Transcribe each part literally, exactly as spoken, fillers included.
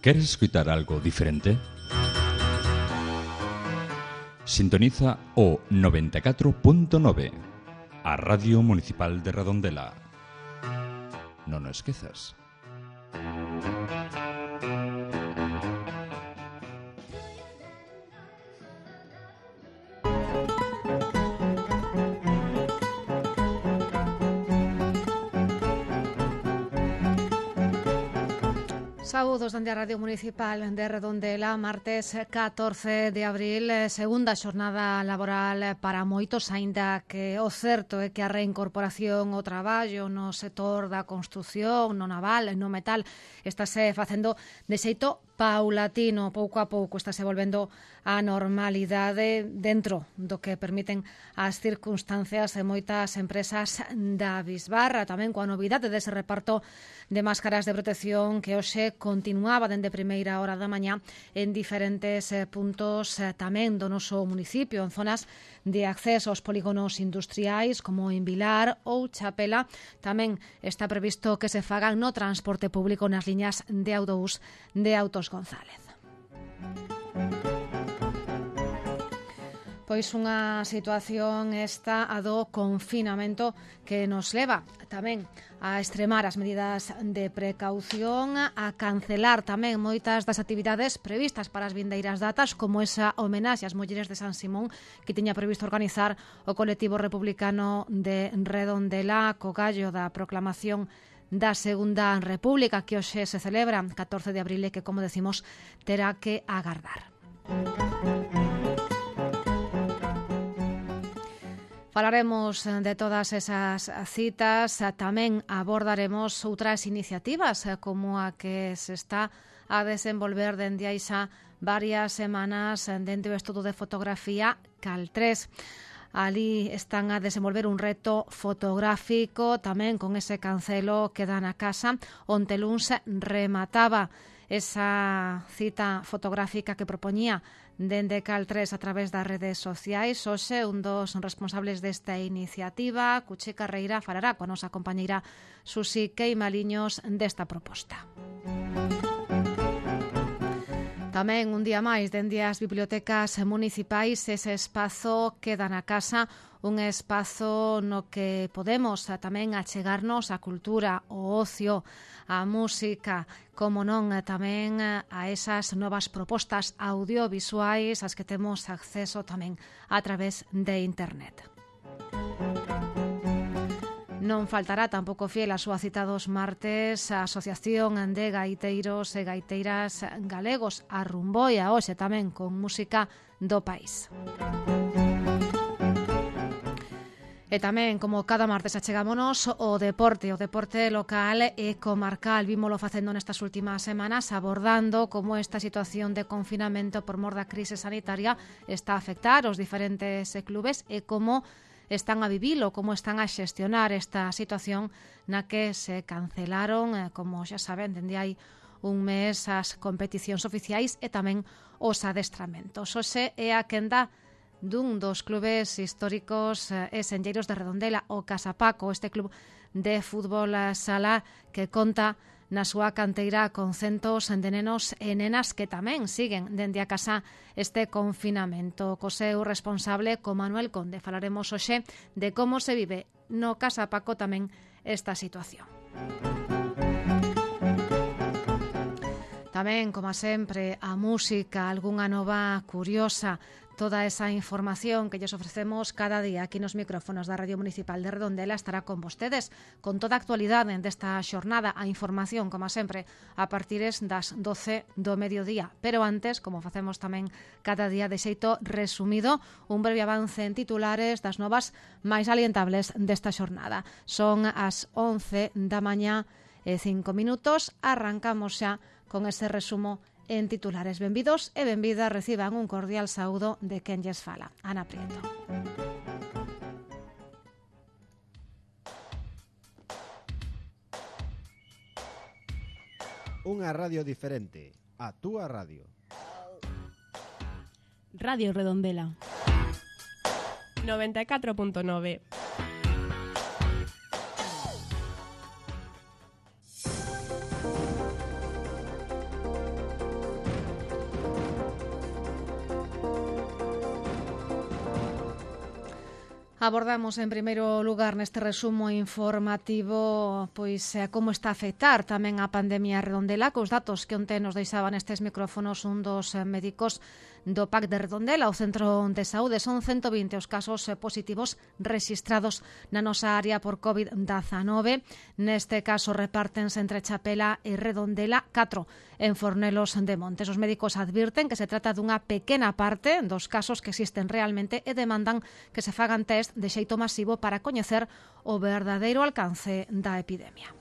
¿Queres escutar algo diferente? Sintoniza o noventa e catro punto nove, a Radio Municipal de Redondela. Non o esquezas. Saúdos dende a Radio Municipal de Redondela, martes catorce de abril, segunda xornada laboral para moitos, aínda que o certo é que a reincorporación ao traballo no sector da construción, no naval, no metal, estáse facendo de xeito paulatino, pouco a pouco estáse volvendo a normalidade dentro do que permiten as circunstancias de moitas empresas da bisbarra, tamén coa novidade dese reparto de máscaras de protección que hoxe continuaba dende primeira hora da mañá en diferentes puntos tamén do noso municipio, en zonas de acceso aos polígonos industriais como en Vilar ou Chapela. Tamén está previsto que se fagan no transporte público nas liñas de autobús de Autos González. Pois unha situación esta a do confinamento que nos leva tamén a extremar as medidas de precaución, a cancelar tamén moitas das actividades previstas para as vindeiras datas, como esa homenaxe ás mulleres de San Simón que tiña previsto organizar o colectivo republicano de Redondela co gallo da proclamación da Segunda República que hoxe se celebra catorce de abril e que, como decimos, terá que agardar. Falaremos de todas esas citas, tamén abordaremos outras iniciativas como a que se está a desenvolver dende hai xa varias semanas dentro do estudo de fotografía Cal tres. Ali están a desenvolver un reto fotográfico tamén con ese cancelo que dá na casa onte luns remataba esa cita fotográfica que propoñía dende Cal tres a través das redes sociais. Hoxe un dos responsables desta iniciativa, Cuchi Carreira, falará coa nosa compañeira Susi Queimaliños desta proposta. Tamén un día máis dende as bibliotecas municipais ese espazo queda na casa, un espazo no que podemos tamén achegarnos a cultura, o ocio, a música, como non tamén a esas novas propostas audiovisuais ás que temos acceso tamén a través de internet. Non faltará tampouco fiel a súa cita dos martes a Asociación de Gaiteiros e Gaiteiras Galegos, a Rumboia, hoxe tamén con música do país. E tamén, como cada martes, achegámonos o deporte, o deporte local e comarcal. Vímolo facendo nestas últimas semanas, abordando como esta situación de confinamento por mor da crise sanitaria está a afectar os diferentes clubes e como están a vivilo, como están a xestionar esta situación na que se cancelaron, como xa saben, dende hai un mes as competicións oficiais e tamén os adestramentos. Hoxe é a quenda dun dos clubes históricos e senlleiros de Redondela, o Casapaco, este club de fútbol sala que conta na súa canteira con centos de nenos e nenas que tamén siguen dende a casa este confinamento. Co seu responsable, co Manuel Conde, falaremos hoxe de como se vive no Casapaco tamén esta situación. Tamén, como sempre, a música, algunha nova curiosa, toda esa información que lles ofrecemos cada día aquí nos micrófonos da Radio Municipal de Redondela estará con vostedes, con toda a actualidade desta xornada, a información, como sempre, a partir das doce do mediodía. Pero antes, como facemos tamén cada día de xeito resumido, un breve avance en titulares das novas máis alientables desta xornada. Son as once da mañá e cinco minutos, arrancamos xa con ese resumo en titulares. Benvidos e benvidas, reciban un cordial saúdo de quen lles fala, Ana Prieto. Unha radio diferente, a túa radio. Radio Redondela noventa e catro punto nove. Abordamos en primeiro lugar neste resumo informativo pois como está a afectar tamén a pandemia Redondela, cos datos que onte nos deixaban estes micrófonos un dos médicos do P A C de Redondela, o Centro de Saúde. Son ciento vinte os casos positivos rexistrados na nosa área por covid diecinueve. Neste caso repártense entre Chapela e Redondela, catro en Fornelos de Montes. Os médicos advirten que se trata dunha pequena parte dos casos que existen realmente e demandan que se fagan test de xeito masivo para coñecer o verdadeiro alcance da epidemia.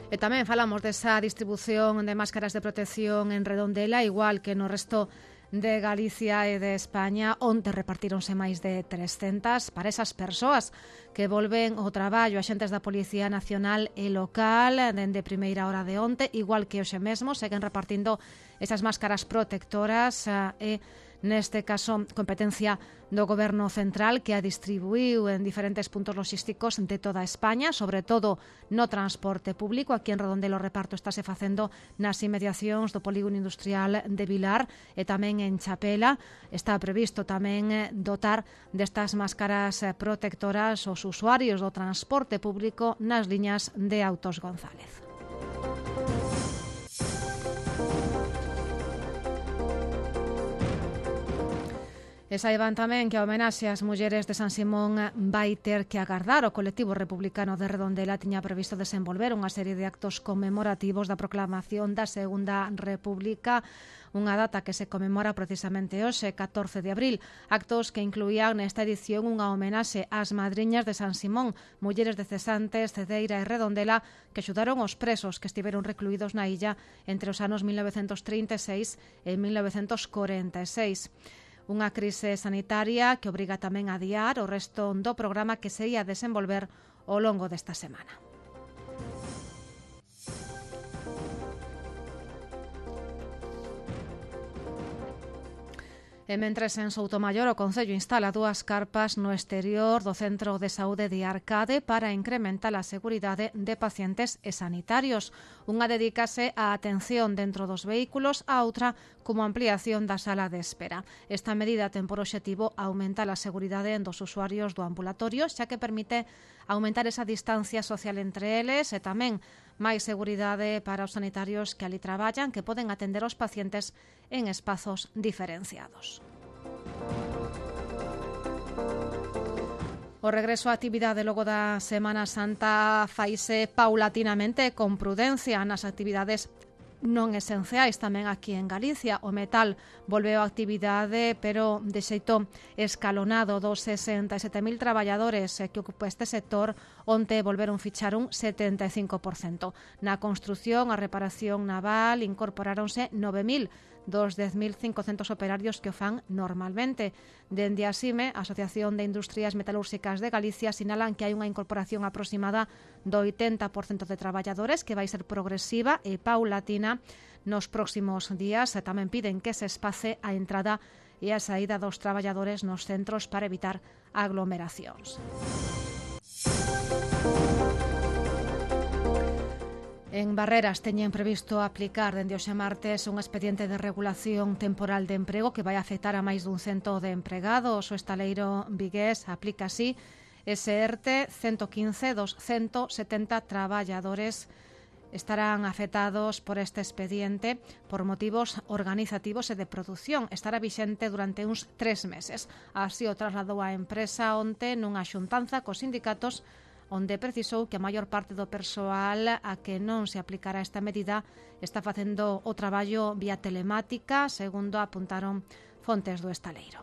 E tamén falamos desa distribución de máscaras de protección en Redondela, igual que no resto de Galicia e de España, onte repartíronse máis de trescentas para esas persoas que volven ao traballo. Axentes da Policía Nacional e local dende primeira hora de onte, igual que hoxe mesmo, seguen repartindo esas máscaras protectoras e neste caso competencia do Goberno Central, que a distribuiu en diferentes puntos logísticos de toda España, sobre todo no transporte público. Aquí en Redondela o reparto estáse facendo nas inmediacións do polígono industrial de Vilar e tamén en Chapela. Está previsto tamén dotar destas máscaras protectoras os usuarios do transporte público nas liñas de Autos González. E saiban tamén que a homenaxe ás mulleres de San Simón vai ter que agardar. O colectivo republicano de Redondela tiña previsto desenvolver unha serie de actos conmemorativos da proclamación da Segunda República, unha data que se conmemora precisamente hoxe, catorce de abril. Actos que incluían nesta edición unha homenaxe ás madriñas de San Simón, mulleres de Cesantes, Cedeira e Redondela, que axudaron os presos que estiveron recluídos na illa entre os anos mil novecentos trinta e seis e mil novecentos corenta e seis. Unha crise sanitaria que obriga tamén a adiar o resto do programa que se ia desenvolver ao longo desta semana. E mentres en Soutomaior o Concello instala dúas carpas no exterior do Centro de Saúde de Arcade para incrementar a seguridade de pacientes e sanitarios. Unha dedícase á atención dentro dos vehículos, a outra como ampliación da sala de espera. Esta medida ten por obxectivo aumentar a seguridade dos usuarios do ambulatorio, xa que permite aumentar esa distancia social entre eles e tamén máis seguridade para os sanitarios que ali traballan, que poden atender os pacientes en espazos diferenciados. O regreso á actividade logo da Semana Santa faise paulatinamente con prudencia nas actividades non esenciais tamén aquí en Galicia. O metal volveu a actividade, pero de xeito escalonado. Dos sesenta e sete mil traballadores que ocupa este sector, onte volveron fichar un setenta e cinco por cento. Na construción, a reparación naval, incorporáronse nove mil dos dez mil cincocentos operarios que o fan normalmente. Dende a SIME, a Asociación de Industrias Metalúrxicas de Galicia, sinalan que hai unha incorporación aproximada do oitenta por cento de traballadores, que vai ser progresiva e paulatina nos próximos días. Tamén piden que se espace a entrada e a saída dos traballadores nos centros para evitar aglomeracións. En Barreras teñen previsto aplicar dende hoxe martes un expediente de regulación temporal de emprego que vai afectar a máis dun cento de empregados. O estaleiro vigués aplica así ese ERTE. ciento quince dos ciento setenta traballadores estarán afectados por este expediente por motivos organizativos e de produción. Estará vixente durante uns tres meses. Así o trasladou a empresa onte nunha xuntanza cos sindicatos, onde precisou que a maior parte do persoal a que non se aplicará esta medida está facendo o traballo vía telemática, segundo apuntaron fontes do estaleiro.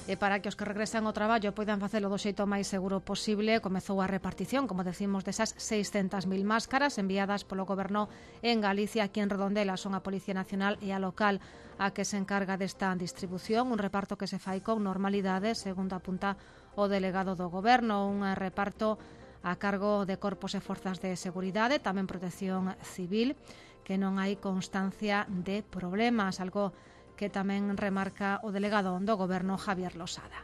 E para que os que regresan ao traballo poidan facelo do xeito máis seguro posible, comezou a repartición, como decimos, desas seiscentas mil máscaras enviadas polo Goberno en Galicia. Aquí en Redondela son a Policía Nacional e a local a que se encarga desta distribución, un reparto que se fai con normalidade, segundo apunta o delegado do Goberno, un reparto a cargo de corpos e forzas de seguridade, tamén protección civil, que non hai constancia de problemas, algo que tamén remarca o delegado do Goberno, Javier Losada.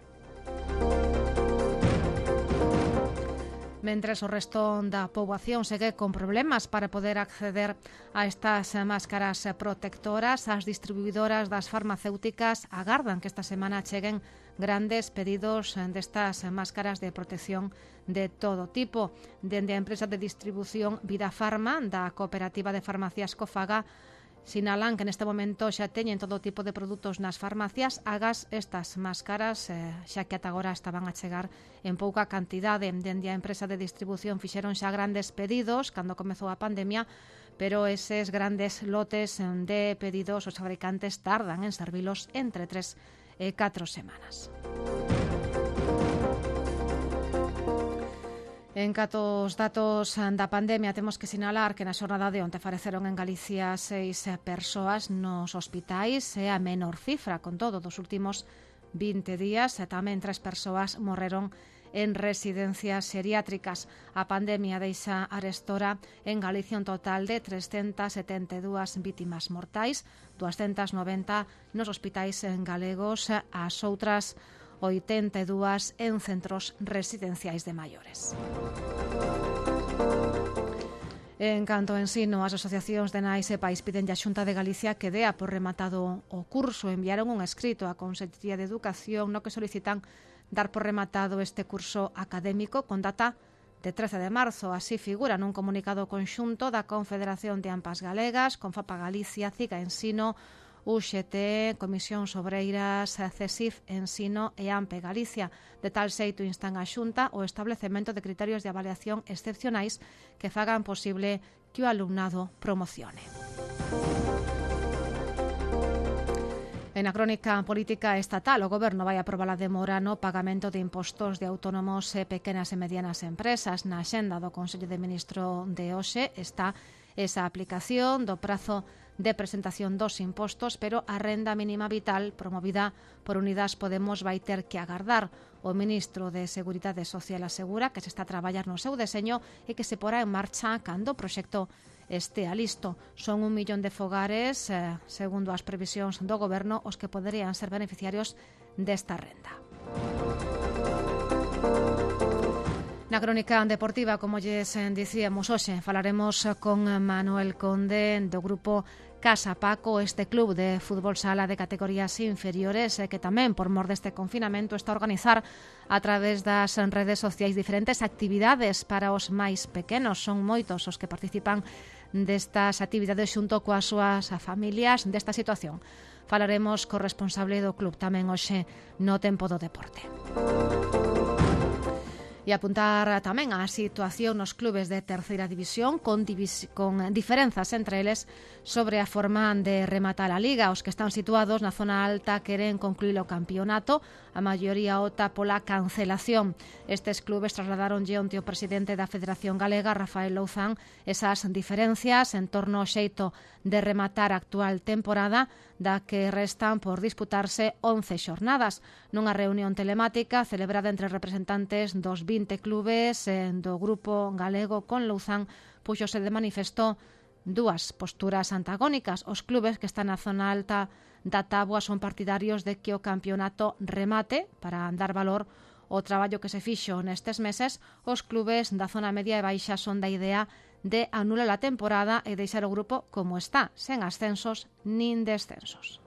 Mentres o resto da poboación segue con problemas para poder acceder a estas máscaras protectoras, as distribuidoras das farmacéuticas agardan que esta semana cheguen grandes pedidos destas máscaras de protección de todo tipo. Dende a empresa de distribución Vida Farma, da cooperativa de farmacias Cofaga, sinalan que neste momento xa teñen todo tipo de produtos nas farmacias, agas estas máscaras, eh, xa que ata agora estaban a chegar en pouca cantidade. Dende a empresa de distribución fixeron xa grandes pedidos cando comezou a pandemia, pero eses grandes lotes de pedidos os fabricantes tardan en servilos entre tres e catro semanas. En cato os datos da pandemia, temos que sinalar que na xornada de onte faleceron en Galicia seis persoas nos hospitais, é a menor cifra, con todo, dos últimos vinte días, e tamén tres persoas morreron en residencias xeriátricas. A pandemia deixa arestora en Galicia un total de trescentas setenta e dúas vítimas mortais, doscientas noventa nos hospitais galegos, as outras oitenta e dúas en centros residenciais de maiores. En canto ao ensino, as asociacións de nais e pais piden a Xunta de Galicia que dea por rematado o curso. Enviaron un escrito á Consellería de Educación no que solicitan dar por rematado este curso académico con data de trece de marzo. Así figura nun comunicado conxunto da Confederación de AMPAs Galegas, Confapa Galicia, CIGA Ensino, U X T, Comisións Obreiras, CESIF Ensino e AMPE Galicia. De tal xeito instan a Xunta o establecemento de criterios de avaliación excepcionais que fagan posible que o alumnado promocione. En a crónica política estatal, o Goberno vai aprobar a demora no pagamento de impostos de autónomos e pequenas e medianas empresas. Na axenda do Consello de Ministro de hoxe está esa aplicación do prazo de presentación dos impostos, pero a renda mínima vital promovida por Unidas Podemos vai ter que agardar. O ministro de Seguridade Social asegura que se está a traballar no seu deseño e que se porá en marcha cando o proxecto estea listo. Son un millón de fogares, eh, segundo as previsións do Goberno, os que poderían ser beneficiarios desta renda. Na crónica deportiva, como lles dicíamos hoxe, falaremos con Manuel Conde do grupo Casa Paco, este club de fútbol sala de categorías inferiores que tamén, por mor deste confinamento, está a organizar a través das redes sociais diferentes actividades para os máis pequenos. Son moitos os que participan destas actividades xunto coas súas familias desta situación. Falaremos co responsable do club tamén hoxe no Tempo do Deporte. E apuntar tamén á situación nos clubes de terceira división con, divis- con diferenzas entre eles sobre a forma de rematar a Liga. Os que están situados na zona alta queren concluir o campeonato, a maioría opta pola cancelación. Estes clubes trasladaronlle onte o presidente da Federación Galega, Rafael Louzán, esas diferencias en torno ao xeito de rematar a actual temporada, da que restan por disputarse once xornadas. Nunha reunión telemática celebrada entre representantes dos vinte clubes do grupo galego con Louzán, puxose de manifesto dúas posturas antagónicas. Os clubes que están na zona alta da táboa son partidarios de que o campeonato remate para dar valor ao traballo que se fixo nestes meses. Os clubes da zona media e baixa son da idea de anular a temporada e deixar o grupo como está, sen ascensos nin descensos.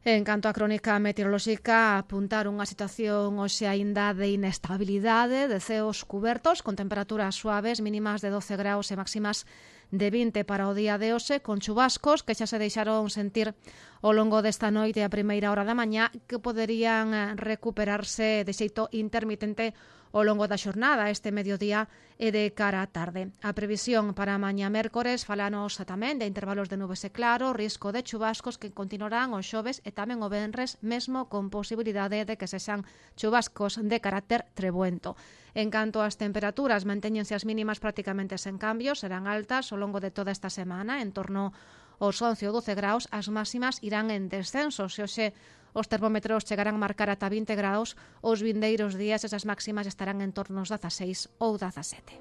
En canto á crónica meteorolóxica, apuntar unha situación hoxe aínda de inestabilidade, de ceos cubertos, con temperaturas suaves, mínimas de doce graus e máximas de vinte para o día de hoxe, con chubascos que xa se deixaron sentir ao longo desta noite e a primeira hora da mañá, que poderían recuperarse de xeito intermitente ao longo da xornada, este mediodía e de cara á tarde. A previsión para mañá mércores falanos tamén de intervalos de nubes e claro, risco de chubascos que continuarán o xoves e tamén o venres, mesmo con posibilidade de que sexan chubascos de carácter trebuento. En canto ás temperaturas, mantéñense as mínimas prácticamente sen cambios, serán altas ao longo de toda esta semana, en torno aos once ou doce graus, as máximas irán en descenso. Se hoxe os termómetros chegarán a marcar ata vinte graus, os vindeiros días esas máximas estarán en torno aos dezaseis ou dezasete.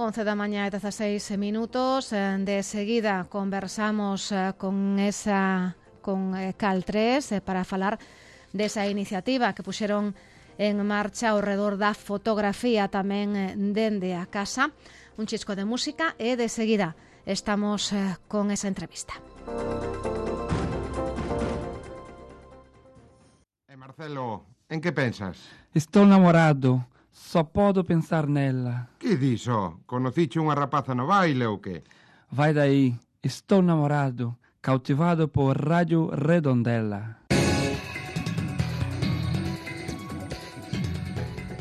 once da mañá e dezaseis minutos. De seguida conversamos con esa con Cal tres para falar desa iniciativa que puxeron en marcha ao redor da fotografía tamén dende a casa. Un chisco de música e de seguida estamos con esa entrevista. E Marcelo, en que pensas? Estou namorado, só podo pensar nela. Que diso? Conociche unha rapaza no baile ou que? Vai daí, estou namorado, cautivado por Radio Redondela.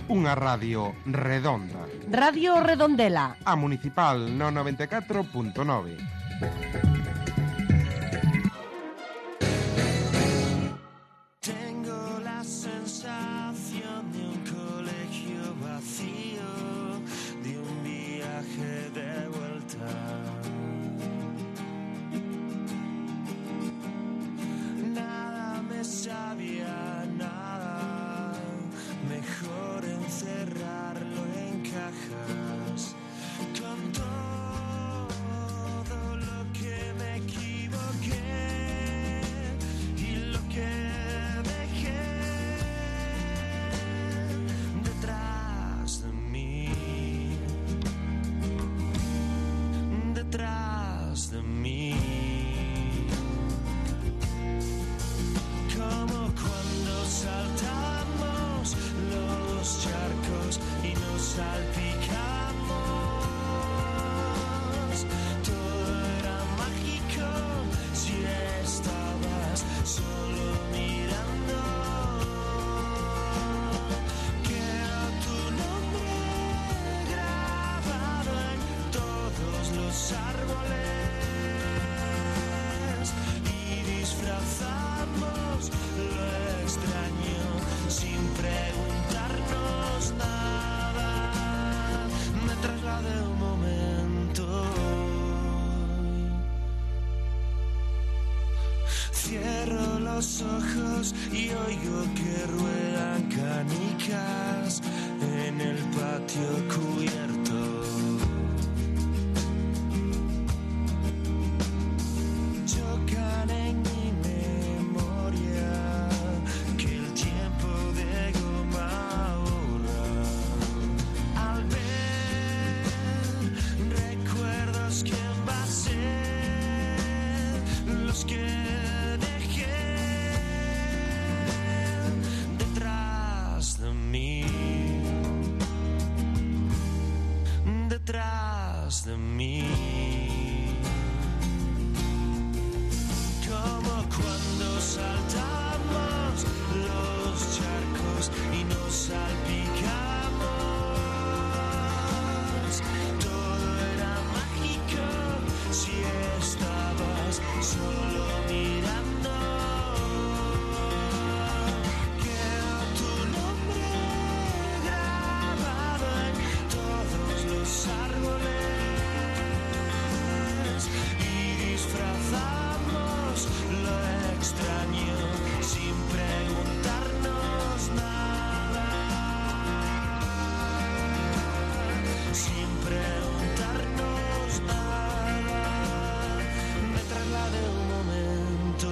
Unha radio redonda. Radio Redondela. A municipal no noventa e catro punto nove. Cierro los ojos y oigo que ruedan canicas en el patio cubierto. Chocan en mi memoria que el tiempo de goma borra. Al ver recuerdos que envasé, los que detrás de mí, como cuando saltamos los charcos y nos salpicamos. Todo era mágico si estabas solo mirando. Quedó tu nombre grabado en todos los árboles y disfrazamos lo extraño sin preguntarnos nada, sin preguntarnos nada. Me trasladé un momento.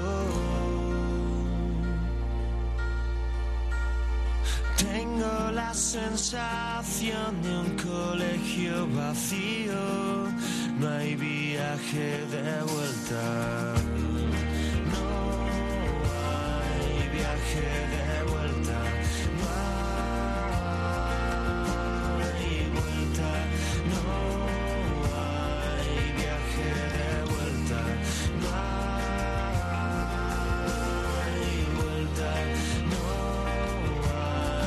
Tengo la sensación de un colegio vacío, no hay viaje de vuelta, no hay viaje de vuelta, no hay vuelta, no hay viaje de vuelta, no hay vuelta, no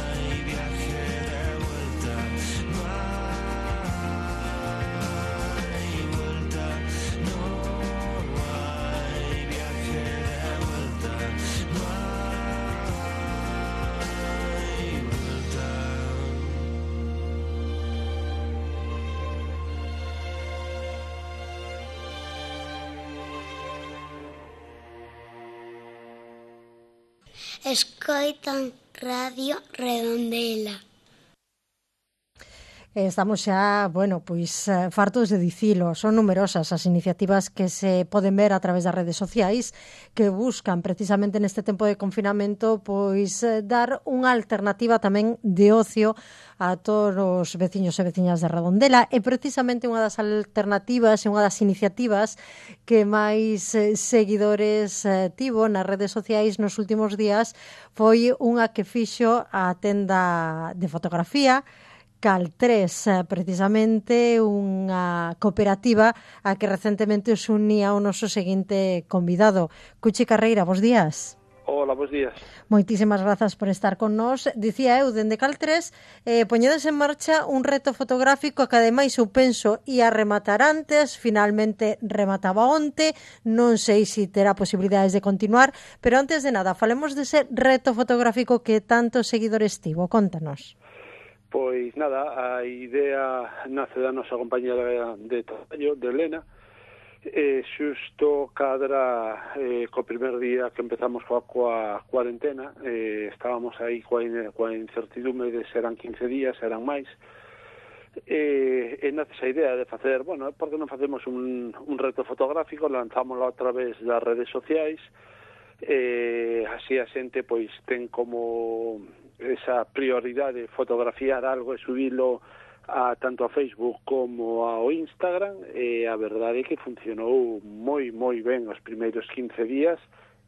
hay viaje de vuelta, no hay vuelta, no hay viaje de vuelta, no hay vuelta. Escoitan Radio Redondela. Estamos xa, bueno, pois fartos de dicilo. Son numerosas as iniciativas que se poden ver a través das redes sociais que buscan precisamente neste tempo de confinamento pois dar unha alternativa tamén de ocio a todos os veciños e veciñas de Redondela, e precisamente unha das alternativas e unha das iniciativas que máis seguidores tivo nas redes sociais nos últimos días foi unha que fixo a tenda de fotografía Cal tres, precisamente unha cooperativa a que recentemente os unía o noso seguinte convidado. Cuchi Carreira, bos días. Hola, bos días. Moitísimas grazas por estar con nós. Dicía eu, dende Cal tres, eh, poñedes en marcha un reto fotográfico que ademais eu penso ia rematar antes, finalmente remataba onte, non sei se terá posibilidades de continuar, pero antes de nada, falemos dese reto fotográfico que tantos seguidores tivo. Contanos. Pois nada, a idea nace da nosa compañera de traballo, de Elena, e xusto cadra eh, co primer día que empezamos coa, coa cuarentena, eh, estábamos aí coa, coa incertidume de serán quince días, serán máis, e, e nace esa idea de facer, bueno, por que non facemos un, un reto fotográfico, lanzámoslo a través das redes sociais, e así a xente pois ten como esa prioridade de fotografiar algo e subilo a tanto a Facebook como ao Instagram, e a verdade é que funcionou moi, moi ben os primeiros quince días,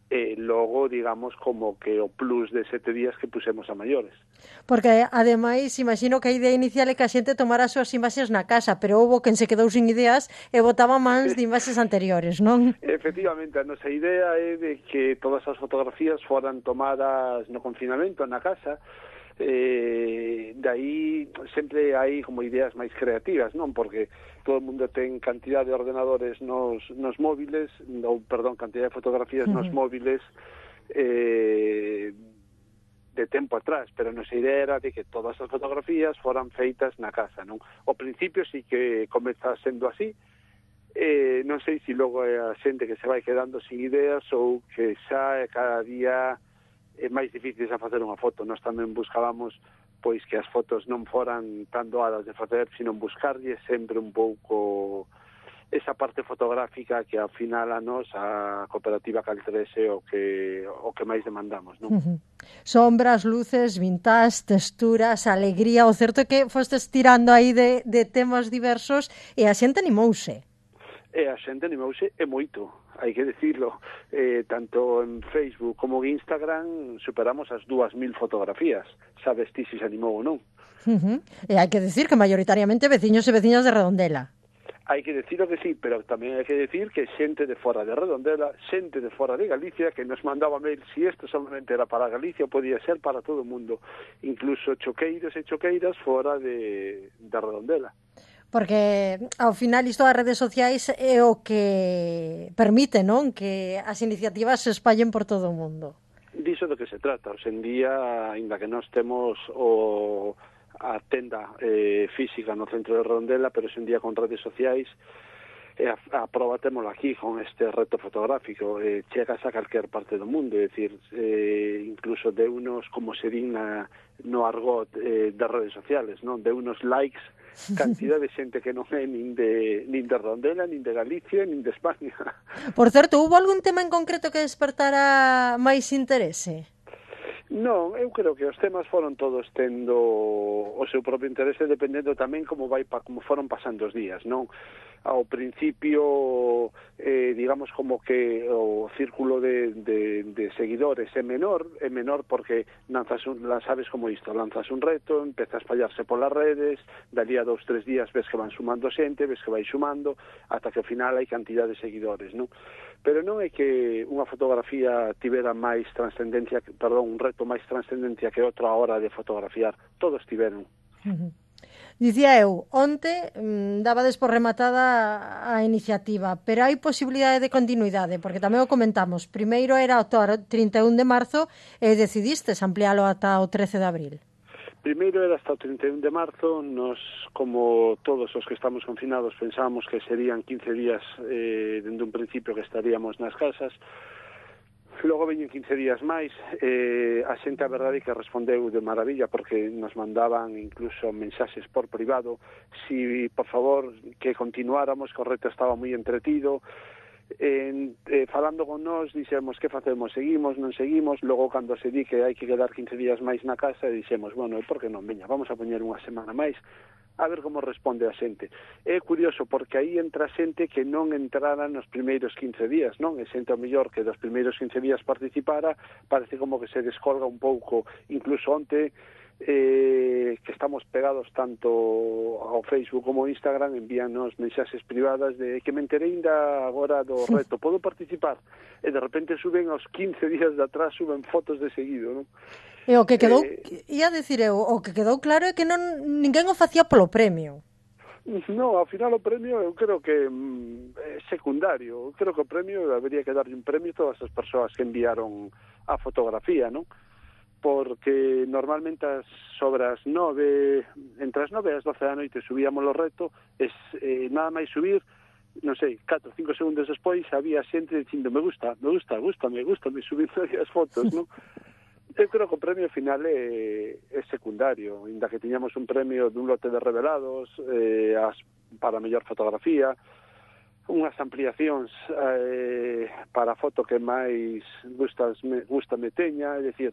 e logo, digamos, como que o plus de sete días que pusemos a maiores. Porque, ademais, imagino que a idea inicial é que a xente tomara as súas imaxes na casa, pero houbo quen se quedou sin ideas e botaba mans de imaxes anteriores, non? Efectivamente, a nosa idea é de que todas as fotografías foran tomadas no confinamento, na casa, eh, de aí sempre hai como ideas máis creativas, non? Porque todo o mundo ten cantidad de ordenadores nos, nos móviles, ou, perdón, cantidad de fotografías uh-huh. nos móviles eh, de tempo atrás, pero a nosa idea era de que todas as fotografías foran feitas na casa, non? Ao principio sí que comeza sendo así, eh, non sei se logo é a xente que se vai quedando sin ideas ou que xa cada día é máis difícil a facer unha foto. Nós tamén buscábamos pois que as fotos non foran tan doadas de facer, sino buscarlle sempre un pouco esa parte fotográfica que ao final a nos, a cooperativa Cal tres é o que, o que máis demandamos, non? Uh-huh. Sombras, luces, vintage, texturas, alegría. O certo é que fostes tirando aí de, de temas diversos e a xente animouse. E a xente animouse e moito, hai que decirlo, eh, tanto en Facebook como en Instagram superamos as dúas mil fotografías, sabes ti se se animou ou non. Uh-huh. E hai que decir que maioritariamente veciños e veciñas de Redondela. Hai que decirlo que sí, pero tamén hai que decir que xente de fora de Redondela, xente de fora de Galicia, que nos mandaba mail, si isto solamente era para Galicia, podía ser para todo o mundo, incluso choqueiros e choqueiras fora de, de Redondela. Porque ao final isto das redes sociais é o que permite, non? Que as iniciativas se espallen por todo o mundo. Diso do que se trata. Hoxe en día, ainda que nós temos o, a tenda eh, física no centro de Redondela, pero hoxe en día con redes sociais, e a, a prova témola aquí con este reto fotográfico. Eh, chegas a calquer parte do mundo, é dicir, eh, incluso de unos, como se din na, no argot eh, das redes sociales, non? De unos likes, cantidad de xente que non é nin de, nin de Redondela, nin de Galicia, nin de España. Por certo, houve algún tema en concreto que despertara máis interese? Non, eu creo que os temas foron todos tendo o seu propio interese, dependendo tamén como vai pa, como foron pasando os días, non? Ao principio, eh, digamos como que o círculo de, de, de seguidores é menor, é menor porque lanzas un, sabes como isto, lanzas un reto, empeza a espallarse polas redes, dali a dous, tres días ves que van sumando xente, ves que vai sumando, ata que ao final hai cantidad de seguidores, non? Pero non é que unha fotografía tivera máis trascendencia, perdón, un reto máis trascendencia que outra hora de fotografiar, todos tiveron. Uh-huh. Dicía eu, onte mmm, dabades por rematada a iniciativa, pero hai posibilidade de continuidade, porque tamén o comentamos. Primeiro era o trinta e un de marzo e decidistes ampliálo ata o trece de abril. Primeiro era hasta o trinta e un de marzo. Nos, como todos os que estamos confinados, pensábamos que serían quince días eh, dende un principio que estaríamos nas casas. Logo veñen quince días máis, eh, a xente a verdade que respondeu de maravilla porque nos mandaban incluso mensaxes por privado si, por favor, que continuáramos, que o reto estaba moi entretido. En, eh, falando con nós, dixemos que facemos, seguimos, non seguimos. Logo, cando se di que hai que quedar quince días máis na casa, dixemos, bueno, por que non, veña, vamos a poñer unha semana máis a ver como responde a xente. É curioso porque aí entra xente que non entrara nos primeiros quince días, non? É xente ao mellor que dos primeiros quince días participara, parece como que se descolga un pouco, incluso onte, eh, que estamos pegados tanto ao Facebook como ao Instagram, envíanos mensaxes privadas de que me enterei ainda agora do reto, podo participar? E de repente suben aos quince días de atrás, suben fotos de seguido, non? E o que quedou, eh, ia dicir eu, o que quedou claro é que non ninguén o facía polo premio. No, ao final o premio eu creo que mm, é secundario. Eu creo que o premio debería que darlle un premio a todas as persoas que enviaron a fotografía, non? Porque normalmente as sobre as nove, entre as nove e as doce da noite subíamos o reto, es, eh, nada máis subir, non sei, catro, cinco segundos despois había xente dicindo me gusta, me gusta, gusta, me gusta, me subindo as fotos, non? Eu creo que o premio final é, é secundario, ainda que tiñamos un premio dun lote de revelados eh, as, para a mellor fotografía, unhas ampliacións eh, para a foto que máis gustas, me, gusta me teña, é dicir,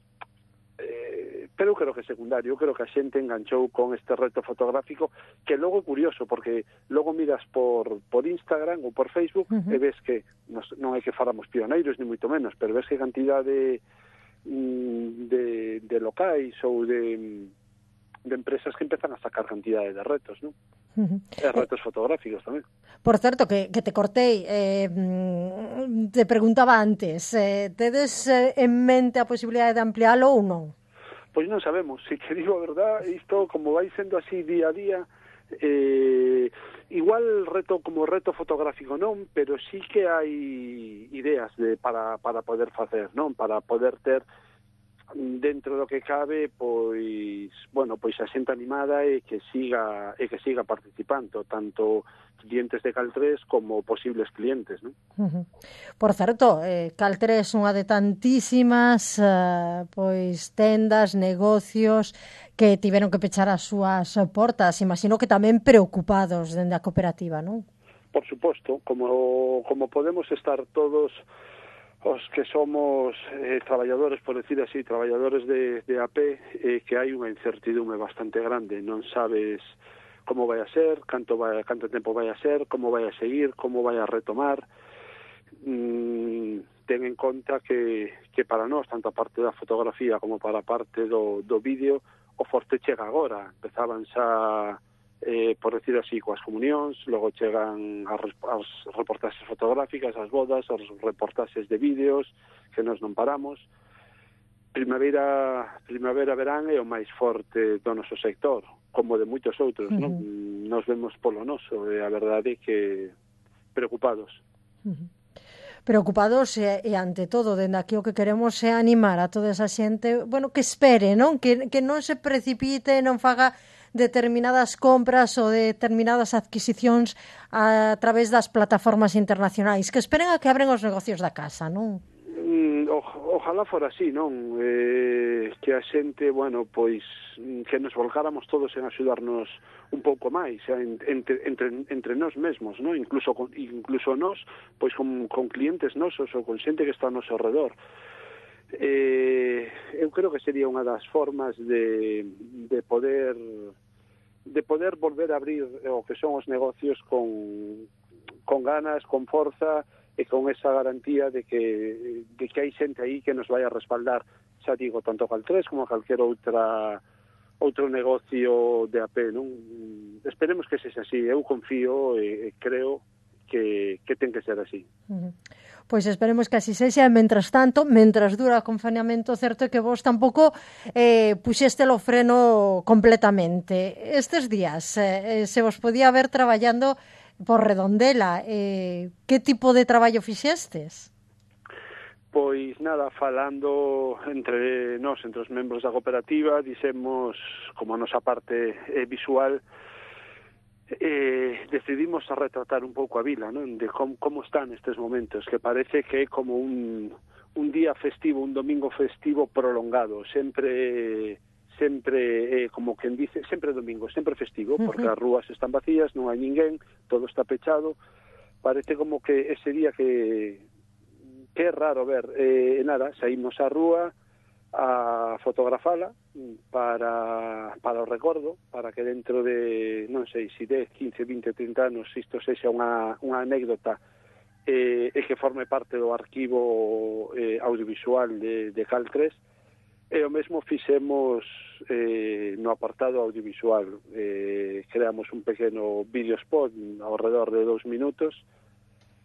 eh, pero eu creo que é secundario. Eu creo que a xente enganchou con este reto fotográfico, que logo é curioso, porque logo miras por, por Instagram ou por Facebook, uh-huh. e ves que, nos, non é que fáramos pioneiros, ni moito menos, pero ves que cantidade de De, de locais ou de, de empresas que empezan a sacar cantidade de retos, non? Uh-huh. E retos fotográficos tamén. Por certo, que, que te cortei, eh, te preguntaba antes, eh, tedes en mente a posibilidade de ampliálo ou non? Pois non sabemos, se que digo a verdad, isto como vai sendo así día a día, eh, igual reto como reto fotográfico non, pero sí que hai ideas de, para, para poder facer, non? Para poder ter dentro do que cabe, pois, bueno, pois a xente animada e que siga e que siga participando, tanto clientes de Cal tres como posibles clientes, non? Uh-huh. Por certo, eh, Cal tres é unha de tantísimas uh, pois tendas, negocios que tiveron que pechar as súas portas, imagino que tamén preocupados dende a cooperativa, non? Por suposto, como como podemos estar todos os que somos eh, traballadores, por decir así, traballadores de, de A P, eh, que hai unha incertidume bastante grande, non sabes como vai a ser, canto vai, canto tempo vai a ser, como vai a seguir, como vai a retomar. Mm, ten en conta que, que para nós, tanto a parte da fotografía como para a parte do, do vídeo, o forte chega agora. Empezaban xa, eh, por decir así, coas comunións, logo chegan as, as reportaxes fotográficas, as bodas, as reportaxes de vídeos, que nos non paramos. Primavera, primavera, verán é o máis forte do noso sector, como de moitos outros, uh-huh. non? Nos vemos polo noso, e a verdade é que preocupados. Uh-huh. Preocupados e, e ante todo, dende aquí o que queremos é animar a toda esa xente, bueno, que espere, non? Que, que non se precipite, non faga determinadas compras ou determinadas adquisicións a través das plataformas internacionais, que esperen a que abren os negocios da casa, non? Mm, o, ojalá fora así, non? Eh, que a xente, bueno, pois que nos volcáramos todos en axudarnos un pouco máis, entre, entre, entre nós mesmos, non? Incluso con, incluso nós, pois con, con clientes nosos ou con xente que está ao noso redor. Eh, eu creo que sería unha das formas de, de poder de poder volver a abrir o que son os negocios con, con ganas, con forza e con esa garantía de que, de que hai xente aí que nos vai a respaldar, xa digo, tanto Cal tres como calquer outra outro negocio de A P, non? Esperemos que sexa así, eu confío e, e creo que, que ten que ser así. Uh-huh. Pois esperemos que así sexa, e mentras tanto, mentras dura o confinamento, certo é que vos tampouco eh, puxeste o freno completamente. Estes días, eh, se vos podía ver traballando por Redondela, eh, que tipo de traballo fixestes? Pois nada, falando entre nós, entre os membros da cooperativa, dixemos, como a nosa parte eh, visual, eh, decidimos a retratar un pouco a vila, non? De com, como están estes momentos, que parece que é como un, un día festivo, un domingo festivo prolongado, sempre sempre eh, como quen dice, sempre domingo, sempre festivo, porque as rúas están vacías, non hai ninguén, todo está pechado. Parece como que ese día que que é raro ver, eh, nada, saímos á rúa a fotografala para para o recordo, para que dentro de, non sei, se dez, quince, vinte, trinta anos isto sexa unha, unha anécdota eh, e que forme parte do arquivo eh, audiovisual de, de Cal tres, e o mesmo fixemos eh, no apartado audiovisual. Eh, creamos un pequeno videospot ao redor de dous minutos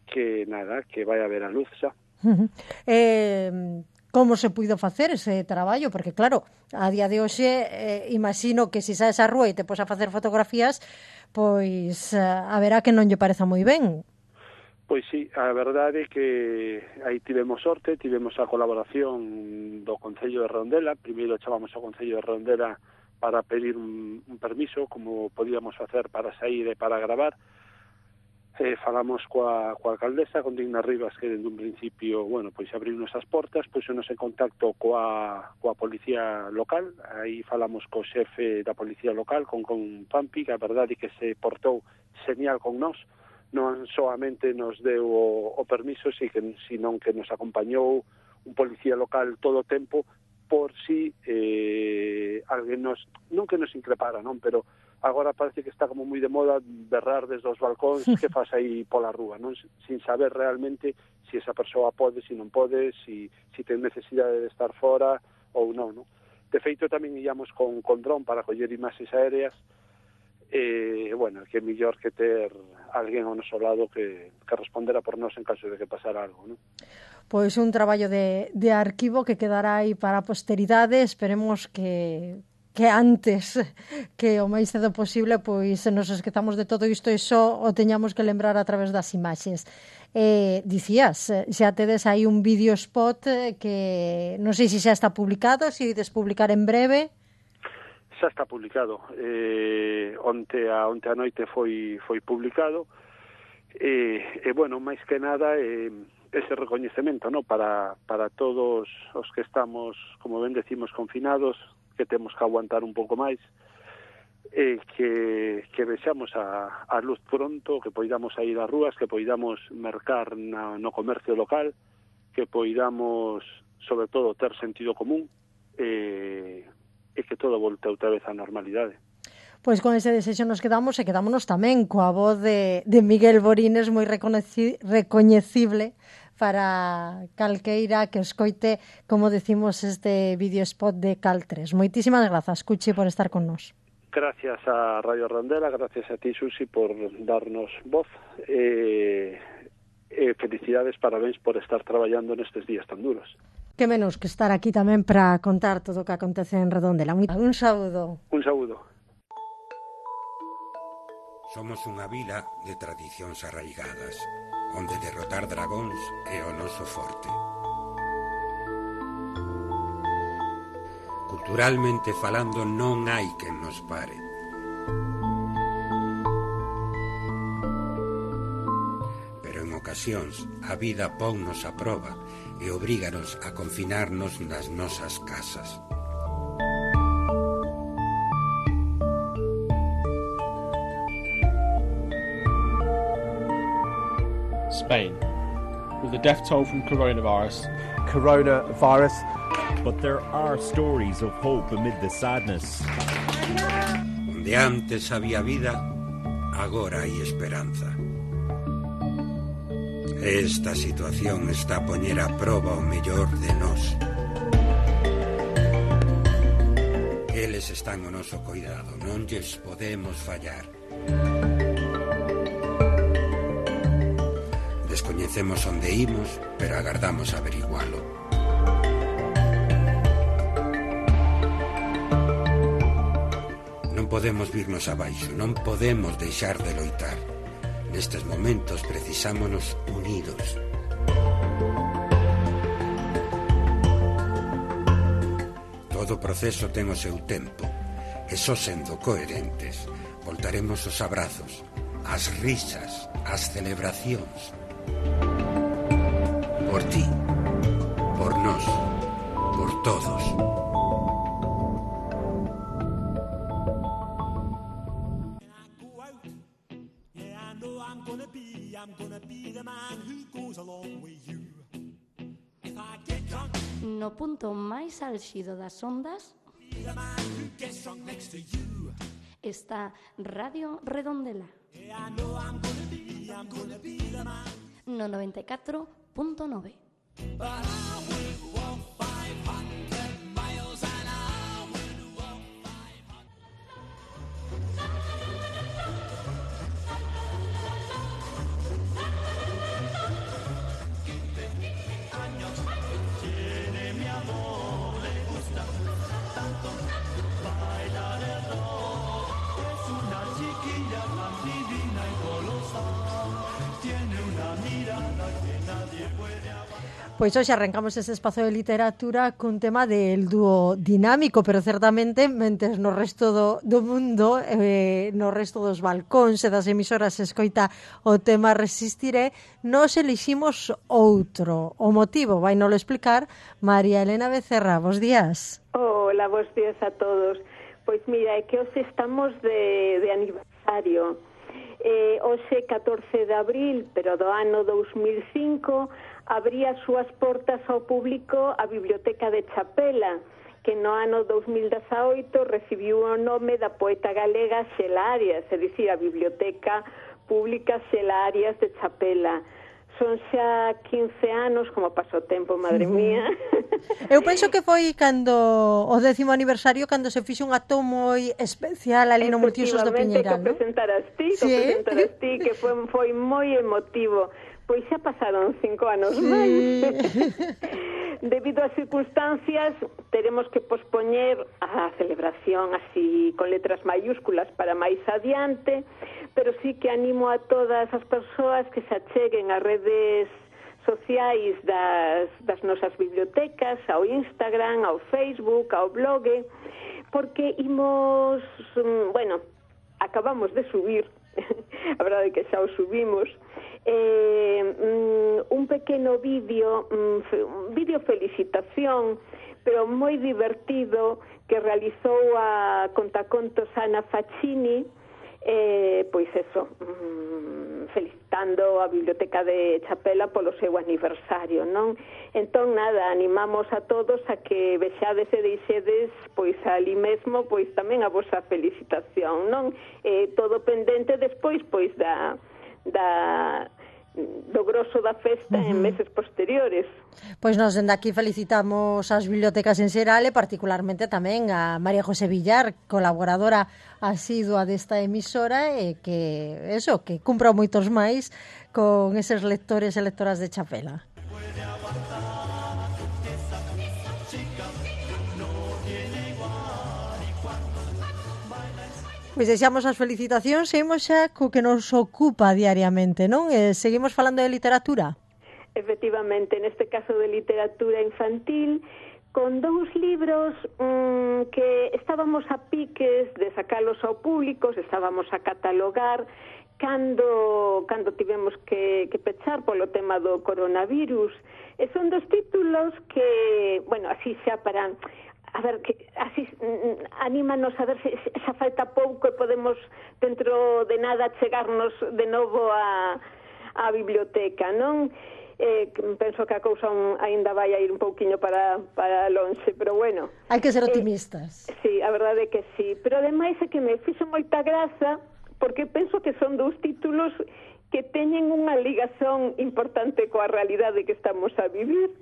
que, nada, que vai a ver a luz xa. Uh-huh. Eh, como se puido facer ese traballo? Porque, claro, a día de hoxe, eh, imagino que se saes á rúa e te pos a facer fotografías, pois eh, haberá que non lle pareza moi ben. Pois sí, a verdade é que aí tivemos sorte, tivemos a colaboración do Concello de Redondela. Primeiro chamamos ao Concello de Redondela para pedir un, un permiso, como podíamos facer para sair e para gravar. Eh, falamos coa, coa alcaldesa, con Digna Rivas, que dende un principio, bueno, pois abriunos as portas, puxonos en contacto coa, coa policía local. Aí falamos co xefe da policía local, con, con Pampi, que a verdade é que se portou señal con nós. Non soamente nos deu o, o permiso, si que, sino que nos acompañou un policía local todo o tempo por si eh, alguén nos, non que nos increpara, non, pero agora parece que está como moi de moda berrar desde os balcóns que faz aí pola rúa, non, sin saber realmente si esa persoa pode, si non pode, si, si ten necesidade de estar fora ou non, non. De feito, tamén íamos con, con dron para coller imaxes aéreas. E, bueno, que é mellor que ter alguén ao noso lado que, que respondera por nós en caso de que pasara algo, non? Pois un traballo de, de arquivo que quedará aí para a posteridade. Esperemos que, que antes, que o máis cedo posible, pois nos esquezamos de todo isto e só o teñamos que lembrar a través das imaxes. Eh, dicías, xa tedes aí un vídeo spot que non sei se xa está publicado, se ides publicar en breve. Xa está publicado. Eh, onte a onte a noite foi foi publicado. E, eh, eh, bueno, máis que nada eh, ese recoñecemento, no, para para todos os que estamos, como ben decimos, confinados, que temos que aguantar un pouco máis, e eh, que que vexamos a a luz pronto, que poidamos ir ás rúas, que poidamos mercar na, no comercio local, que poidamos, sobre todo, ter sentido común, e eh, e que todo volte outra vez á normalidade. Pois con ese desexo nos quedamos e quedámonos tamén coa voz de, de Miguel Borines, moi recoñeci, recoñecible para calqueira que escoite, como decimos, este videospot de Cal tres. Moitísimas grazas, Cuchi, por estar con nós. Gracias a Radio Redondela, gracias a ti, Susi, por darnos voz. Eh, eh, felicidades, parabéns por estar traballando nestes días tan duros. Que menos que estar aquí tamén para contar todo o que acontece en Redondela. Un saúdo. Un saúdo. Somos unha vila de tradicións arraigadas, onde derrotar dragóns é o noso forte. Culturalmente falando, non hai quen nos pare. Pero en ocasións a vida ponnos a proba e obríganos a confinarnos nas nosas casas. Spain, with the death toll from coronavirus. Coronavirus. But there are stories of hope amid the sadness. Onde antes había vida, agora hai esperanza. Esta situación está a poñer a proba o mellor de nós. Eles están ao noso cuidado, non lles podemos fallar. Descoñecemos onde imos, pero agardamos averigualo. Non podemos virnos abaixo, non podemos deixar de loitar. Nestes momentos precisámonos unidos. Todo proceso ten o seu tempo, e só sendo coherentes voltaremos os abrazos, as risas, as celebracións. Por ti, por todos. No punto máis álxido das ondas está Radio Redondela no noventa e catro punto nove. Pois hoxe arrancamos ese espazo de literatura cun tema del dúo dinámico, pero certamente mentes no resto do, do mundo, eh, no resto dos balcóns e das emisoras se escoita o tema Resistiré, nos eliximos outro. O motivo vai nolo explicar María Elena Becerra. Bos días. Hola, bos días a todos. Pois mira, é que hoxe estamos de, de aniversario. Eh, hoxe, catorce de abril, pero do ano dous mil cinco, abría as súas portas ao público a Biblioteca de Chapela, que no ano dous mil dezaoito recibiu o nome da poeta galega Xela Arias, é dicir, a Biblioteca Pública Xela Arias de Chapela. Son xa quince anos, como pasou o tempo, madre mía. Eu penso que foi cando o décimo aniversario, cando se fixo un acto moi especial ali no Multiusos do Piñeiral, non? Que presentaras ti, que presentaras ti, que foi, foi moi emotivo. Pois xa pasaron cinco anos sí. máis. Debido ás circunstancias, teremos que pospoñer a celebración así con letras mayúsculas para máis adiante, pero sí que animo a todas as persoas que se acheguen a redes sociais das, das nosas bibliotecas, ao Instagram, ao Facebook, ao blog, porque imos, bueno, acabamos de subir, a verdade é que xa o subimos, eh, un pequeno vídeo, un vídeo felicitación, pero moi divertido, que realizou a contacontos Ana Faccini, eh, pois eso, mm, felicitando a Biblioteca de Chapela polo seu aniversario, non? Entón, nada, animamos a todos a que vexades e deixedes, pois ali mesmo, pois tamén a vosa felicitación, non? Eh, todo pendente despois, pois, da... da do grosso da festa uh-huh. en meses posteriores. Pois nos dende aquí felicitamos as bibliotecas en xeral e particularmente tamén a María José Villar, colaboradora asidua desta emisora e que, eso, que cumpra moitos máis con eses lectores e lectoras de Chapela. Pois deixamos as felicitacións e imos xa co que nos ocupa diariamente, non? Eh, seguimos falando de literatura? Efectivamente, neste caso de literatura infantil, con dous libros mmm, que estábamos a piques de sacalos ao público, estábamos a catalogar cando, cando tivemos que, que pechar polo tema do coronavirus. E son dos títulos que, bueno, así xa para... a ver, que así anímanos a ver se xa falta pouco e podemos dentro de nada chegarnos de novo a, a biblioteca, non? Eh, penso que a cousa un, ainda vai a ir un pouquiño para, para lonxe, pero bueno. Hai que ser optimistas. Eh, sí, a verdade é que sí, pero ademais é que me fixo moita graza porque penso que son dous títulos que teñen unha ligazón importante coa realidade que estamos a vivir.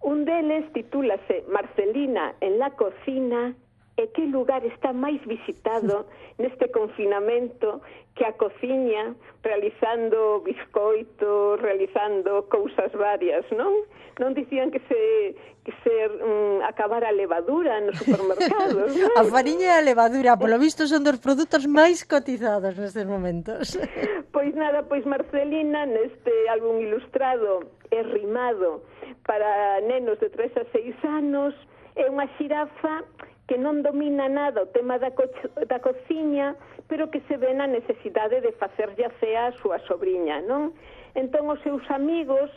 Un deles titúlase Marcelina en la cocina e que lugar está máis visitado neste confinamento que a cociña, realizando biscoitos, realizando cousas varias, non? Non dicían que se que se um, acabara a levadura nos supermercados, non? A fariña e a levadura, polo visto, son dos produtos máis cotizados nestes momentos. Pois nada, pois Marcelina neste álbum ilustrado e rimado para nenos de tres a seis anos é unha xirafa que non domina nada o tema da, co da cociña, pero que se ve na necesidade de facerlle a cea a súa sobriña, non? Entón os seus amigos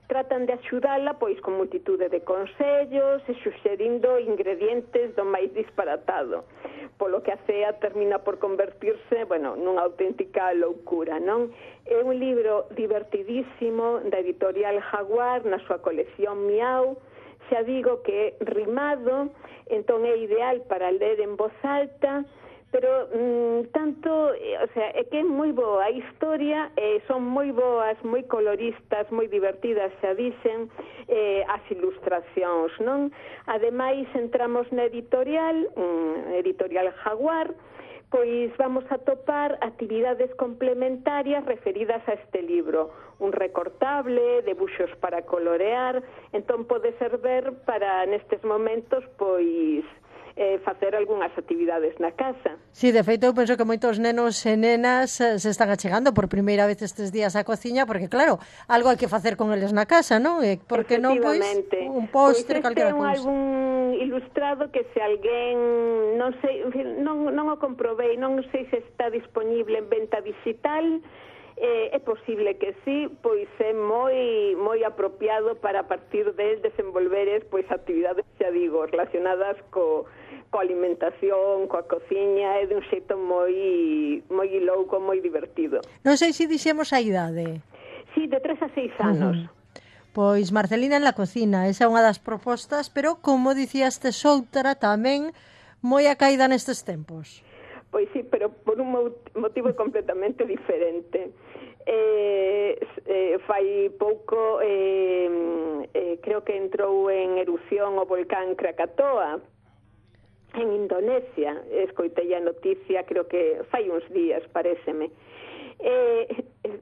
tratan de axudala pois con multitude de consellos e suxerindo ingredientes do máis disparatado, polo que a cea termina por convertirse, bueno, nunha auténtica loucura, non? É un libro divertidísimo da editorial Jaguar na súa colección Miau. Xa digo que é rimado, entón é ideal para ler en voz alta, pero mm, tanto, o sea, é que é moi boa a historia, eh, son moi boas, moi coloristas, moi divertidas, xa dicen, eh, as ilustracións, non? Ademais, entramos na editorial, mm, editorial Jaguar, pois vamos a topar actividades complementarias referidas a este libro, un recortable, debuxos para colorear, entón pode servir para nestes momentos, pois, eh, facer algunhas actividades na casa. Sí, de feito, eu penso que moitos nenos e nenas eh, se están achegando por primeira vez estes días á cociña, porque claro, algo hai que facer con eles na casa, non? E porque non, pois, un postre, pois calquera cousa. Pois este é un cousa. álbum ilustrado que se alguén, non sei, non, non o comprobei, non sei se está disponible en venta digital. Eh, é posible que sí, pois é moi moi apropiado para a partir del desenvolveres pois actividades, xa digo, relacionadas co, coa alimentación, coa cociña, é de un xeito moi moi louco, moi divertido. Non sei se dixemos a idade. Sí, de tres a seis anos. Uh-huh. Pois Marcelina en la cocina, esa é unha das propostas, pero como dicías tes outra tamén moi a caída nestes tempos. Pois sí, pero por un motivo completamente diferente. Eh, eh, fai pouco eh, eh, creo que entrou en erupción o volcán Krakatoa en Indonesia. Escoitei a noticia, creo que fai uns días, paréceme. É,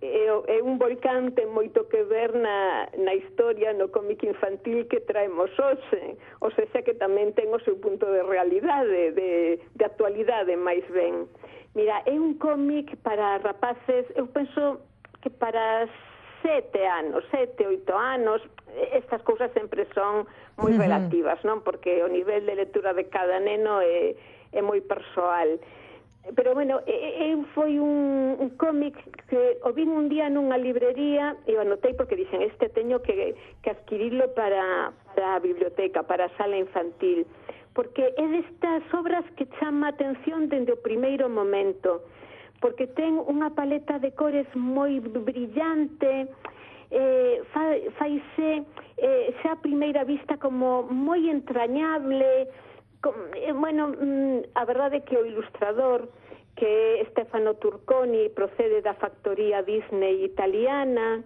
é, é un volcán ten moito que ver na, na historia, no cómic infantil que traemos hoxe, ou seja que tamén ten o seu punto de realidade, de, de actualidade máis ben. Mira, é un cómic para rapaces, eu penso que para sete anos, sete, oito anos, estas cousas sempre son moi uh-huh. relativas, non? Porque o nivel de lectura de cada neno é, é moi persoal. Pero, bueno, eu foi un, un cómic que o vin un día nunha librería e o anotei porque dixen, este teño que, que adquirilo para, para a biblioteca, para a sala infantil, porque é destas obras que chama a atención dende o primeiro momento, porque ten unha paleta de cores moi brillante, eh, fa, faise eh, xa a primeira vista como moi entrañable. Bueno, a verdade é que o ilustrador, que é Stefano Turconi, procede da factoría Disney italiana,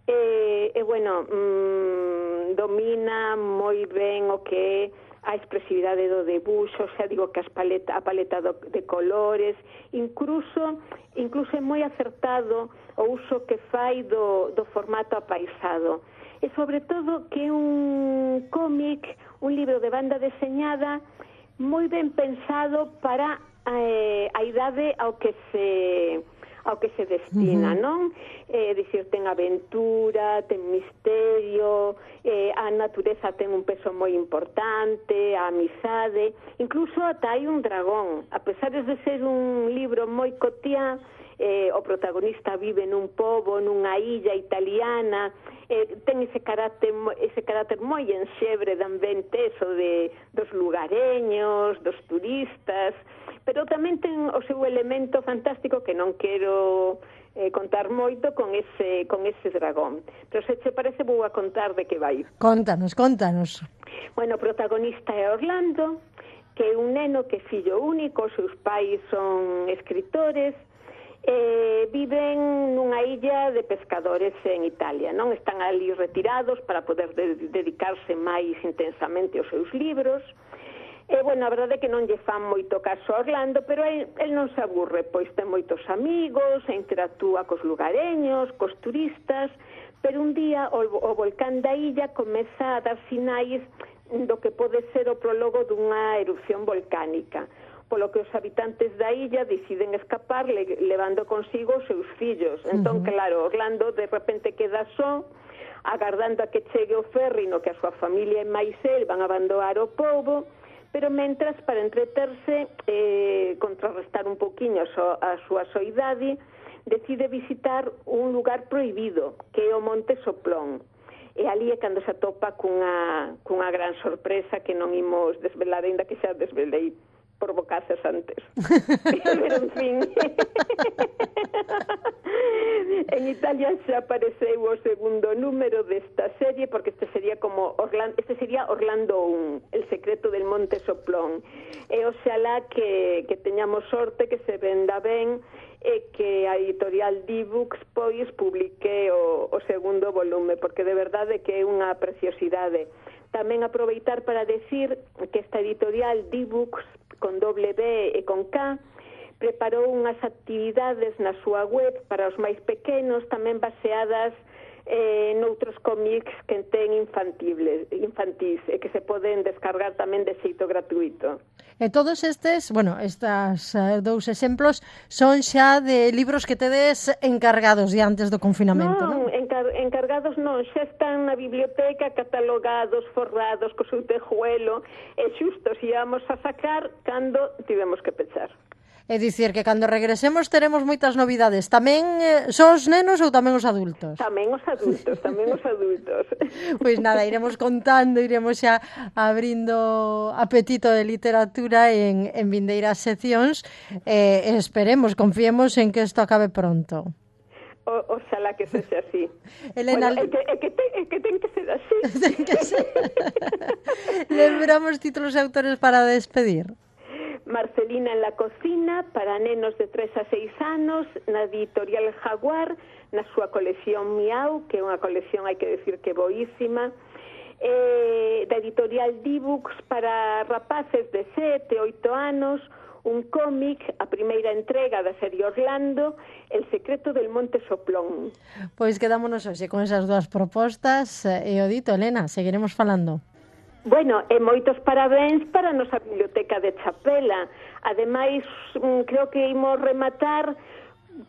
e, e bueno, mmm, domina moi ben o que é a expresividade do debuxo, xa digo que as paleta, a paleta do, de colores, incluso incluso é moi acertado o uso que fai do, do formato apaisado. E sobre todo que é un cómic, un libro de banda deseñada moi ben pensado para eh, a idade ao que se ao que se destina, uh-huh. non? É eh, dicir, ten aventura, ten misterio, eh, a natureza ten un peso moi importante, a amizade, incluso ata hai un dragón. A pesar de ser un libro moi cotiá, eh, o protagonista vive nun pobo, nunha illa italiana, eh, ten ese carácter, ese carácter moi enxebre de ambiente, eso de, dos lugareños, dos turistas, pero tamén ten o seu elemento fantástico que non quero eh, contar moito con ese, con ese dragón. Pero se che parece vou a contar de que vai. Contanos, contanos. Bueno, o protagonista é Orlando, que é un neno que é fillo único, os seus pais son escritores, eh, viven nunha illa de pescadores en Italia, non? Están ali retirados para poder de- dedicarse máis intensamente aos seus libros. E, bueno, a verdade é que non lle fan moito caso a Orlando, pero el, el non se aburre, pois ten moitos amigos, interactúa cos lugareños, cos turistas, pero un día o, o volcán da illa comeza a dar sinais do que pode ser o prólogo dunha erupción volcánica, polo que os habitantes da illa deciden escapar le, levando consigo os seus fillos. Entón, uh-huh. claro, Orlando de repente queda só, agardando a que chegue o ferry no que a súa familia e máis el van a abandonar o pobo, pero mentras, para entreterse, eh, contrarrestar un poquinho a, so, a súa soidade, decide visitar un lugar prohibido, que é o Monte Soplón. e ali é cando se atopa cunha, cunha gran sorpresa que non imos desvelar, ainda que xa desvelei por bocaces antes. Pero, en fin, en Italia xa apareceu o segundo número desta serie, porque este sería como Orlando, este sería Orlando un, El secreto del Monte Soplón. E oxalá que, que teñamos sorte, que se venda ben, e que a editorial D-Books pois publique o, o segundo volume, porque de verdade que é unha preciosidade. Tamén aproveitar para decir que esta editorial D-Books, con doble B e con K, preparou unhas actividades na súa web para os máis pequenos, tamén baseadas eh, noutros cómics que ten infantiles, infantís e que se poden descargar tamén de xeito gratuito. E todos estes, bueno, estas uh, dous exemplos son xa de libros que tedes encargados ya antes do confinamento, non? Non, encar encargados non, xa están na biblioteca catalogados, forrados, co seu tejuelo, e xusto se íamos a sacar cando tivemos que pechar. É dicir, que cando regresemos teremos moitas novidades. Tamén eh, son os nenos ou tamén os adultos? Tamén os adultos, tamén os adultos. Pois nada, iremos contando, iremos xa abrindo apetito de literatura en, en vindeiras seccións. Eh, esperemos, confiemos en que isto acabe pronto. O, oxalá que sexa así. Elena, bueno, é que, é que, ten, é que ten que ser así. Ten que ser. Lembramos títulos e autores para despedir. Marcelina en la cocina, para nenos de tres a seis anos, na editorial Jaguar, na súa colección Miau, que é unha colección, hai que decir, que boísima, eh, da editorial D-Books para rapaces de sete, oito anos, un cómic, a primeira entrega da serie Orlando, El secreto del Monte Soplón. Pois quedámonos hoxe con esas dúas propostas, e o dito, Elena, seguiremos falando. Bueno, e moitos parabéns para a nosa biblioteca de Chapela. Ademais, creo que imos rematar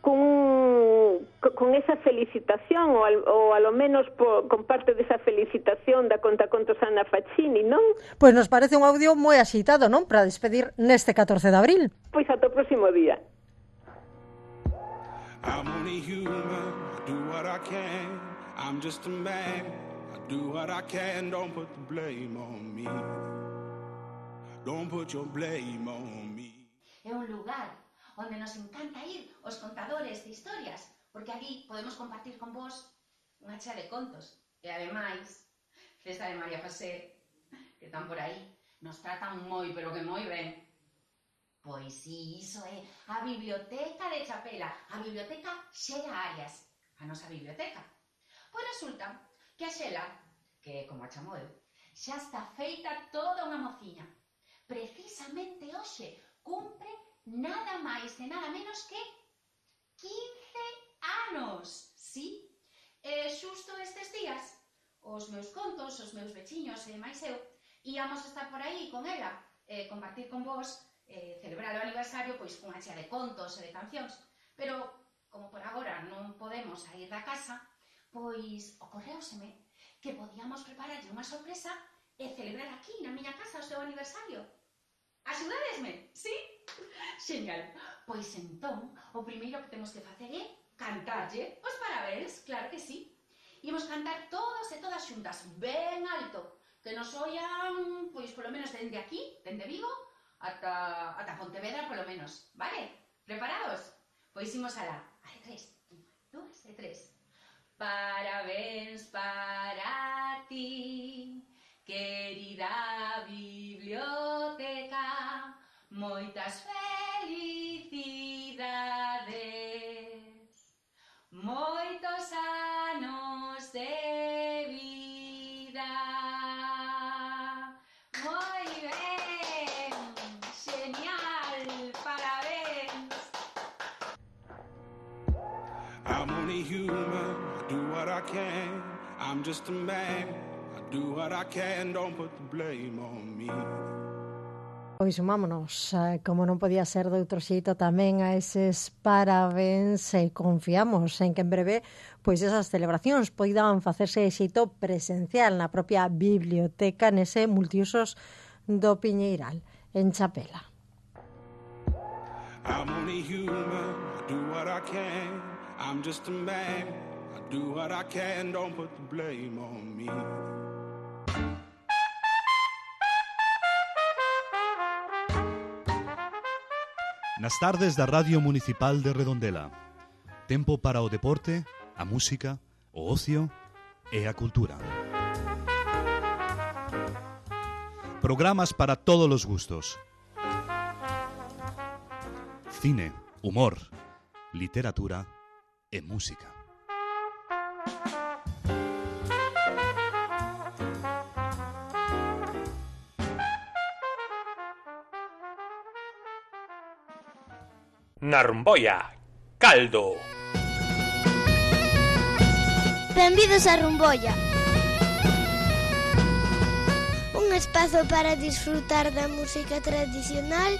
con, con esa felicitación, ou, al, ou a lo menos po, con parte desa felicitación da contacontos Ana Faccini, non? Pois nos parece un audio moi axitado, non? Para despedir neste catorce de abril. Pois ata o próximo día. I'm only human, I do what I can, I'm just a man. Do what I can, don't put the blame on me. Don't put your blame on me. É un lugar onde nos encanta ir os contadores de historias, porque aquí podemos compartir con vos unha chea de contos. E ademais, César e María José, que están por aí, nos tratan moi, pero que moi ben. Pois sí, iso é a Biblioteca de Chapela, a Biblioteca Xela Arias, a nosa biblioteca. Pois resulta que a Xela, que como a chamo eu, xa está feita toda unha mociña. Precisamente hoxe cumpre nada máis e nada menos que quince anos, sí? E xusto estes días, os meus contos, os meus veciños e máis eu, íamos estar por aí con ela, e compartir con vos, e celebrar o aniversario pois cunha chea de contos e de cancións. Pero, como por agora non podemos sair da casa, pois ocorreuseme que podíamos prepararlle unha sorpresa e celebrar aquí, na miña casa, o seu aniversario. Axudadesme, sí? Xenial. Pois entón, o primeiro que temos que facer é cantarlle os parabéns, claro que sí. Imos cantar todos e todas xuntas, ben alto, que nos oian, pois, polo menos dende aquí, dende Vigo, ata, ata Pontevedra, polo menos. Vale? Preparados? Pois imos alá. A de tres, un, dúas e tres. Parabéns para ti, querida biblioteca, moitas felicidades, moitos anos de vida. Moi ben, genial, parabéns. I'm only human, I do what I can, I'm just a man, I do what I can, don't put the blame on me. Pois sumámonos, como non podía ser de outro xeito, tamén a eses parabéns e confiamos en que en breve pois esas celebracións poidan facerse de xeito presencial na propia biblioteca nese multiusos do Piñeiral, en Chapela. I'm only human, I do what I can, I'm just a man, I do what I can, don't put the blame on me. Nas tardes da Radio Municipal de Redondela. Tempo para o deporte, a música, o ocio e a cultura. Programas para todos os gustos. Cine, humor, literatura e música. Na Rumboia, Caldo. Benvidos a Rumboia. Un espazo para disfrutar da música tradicional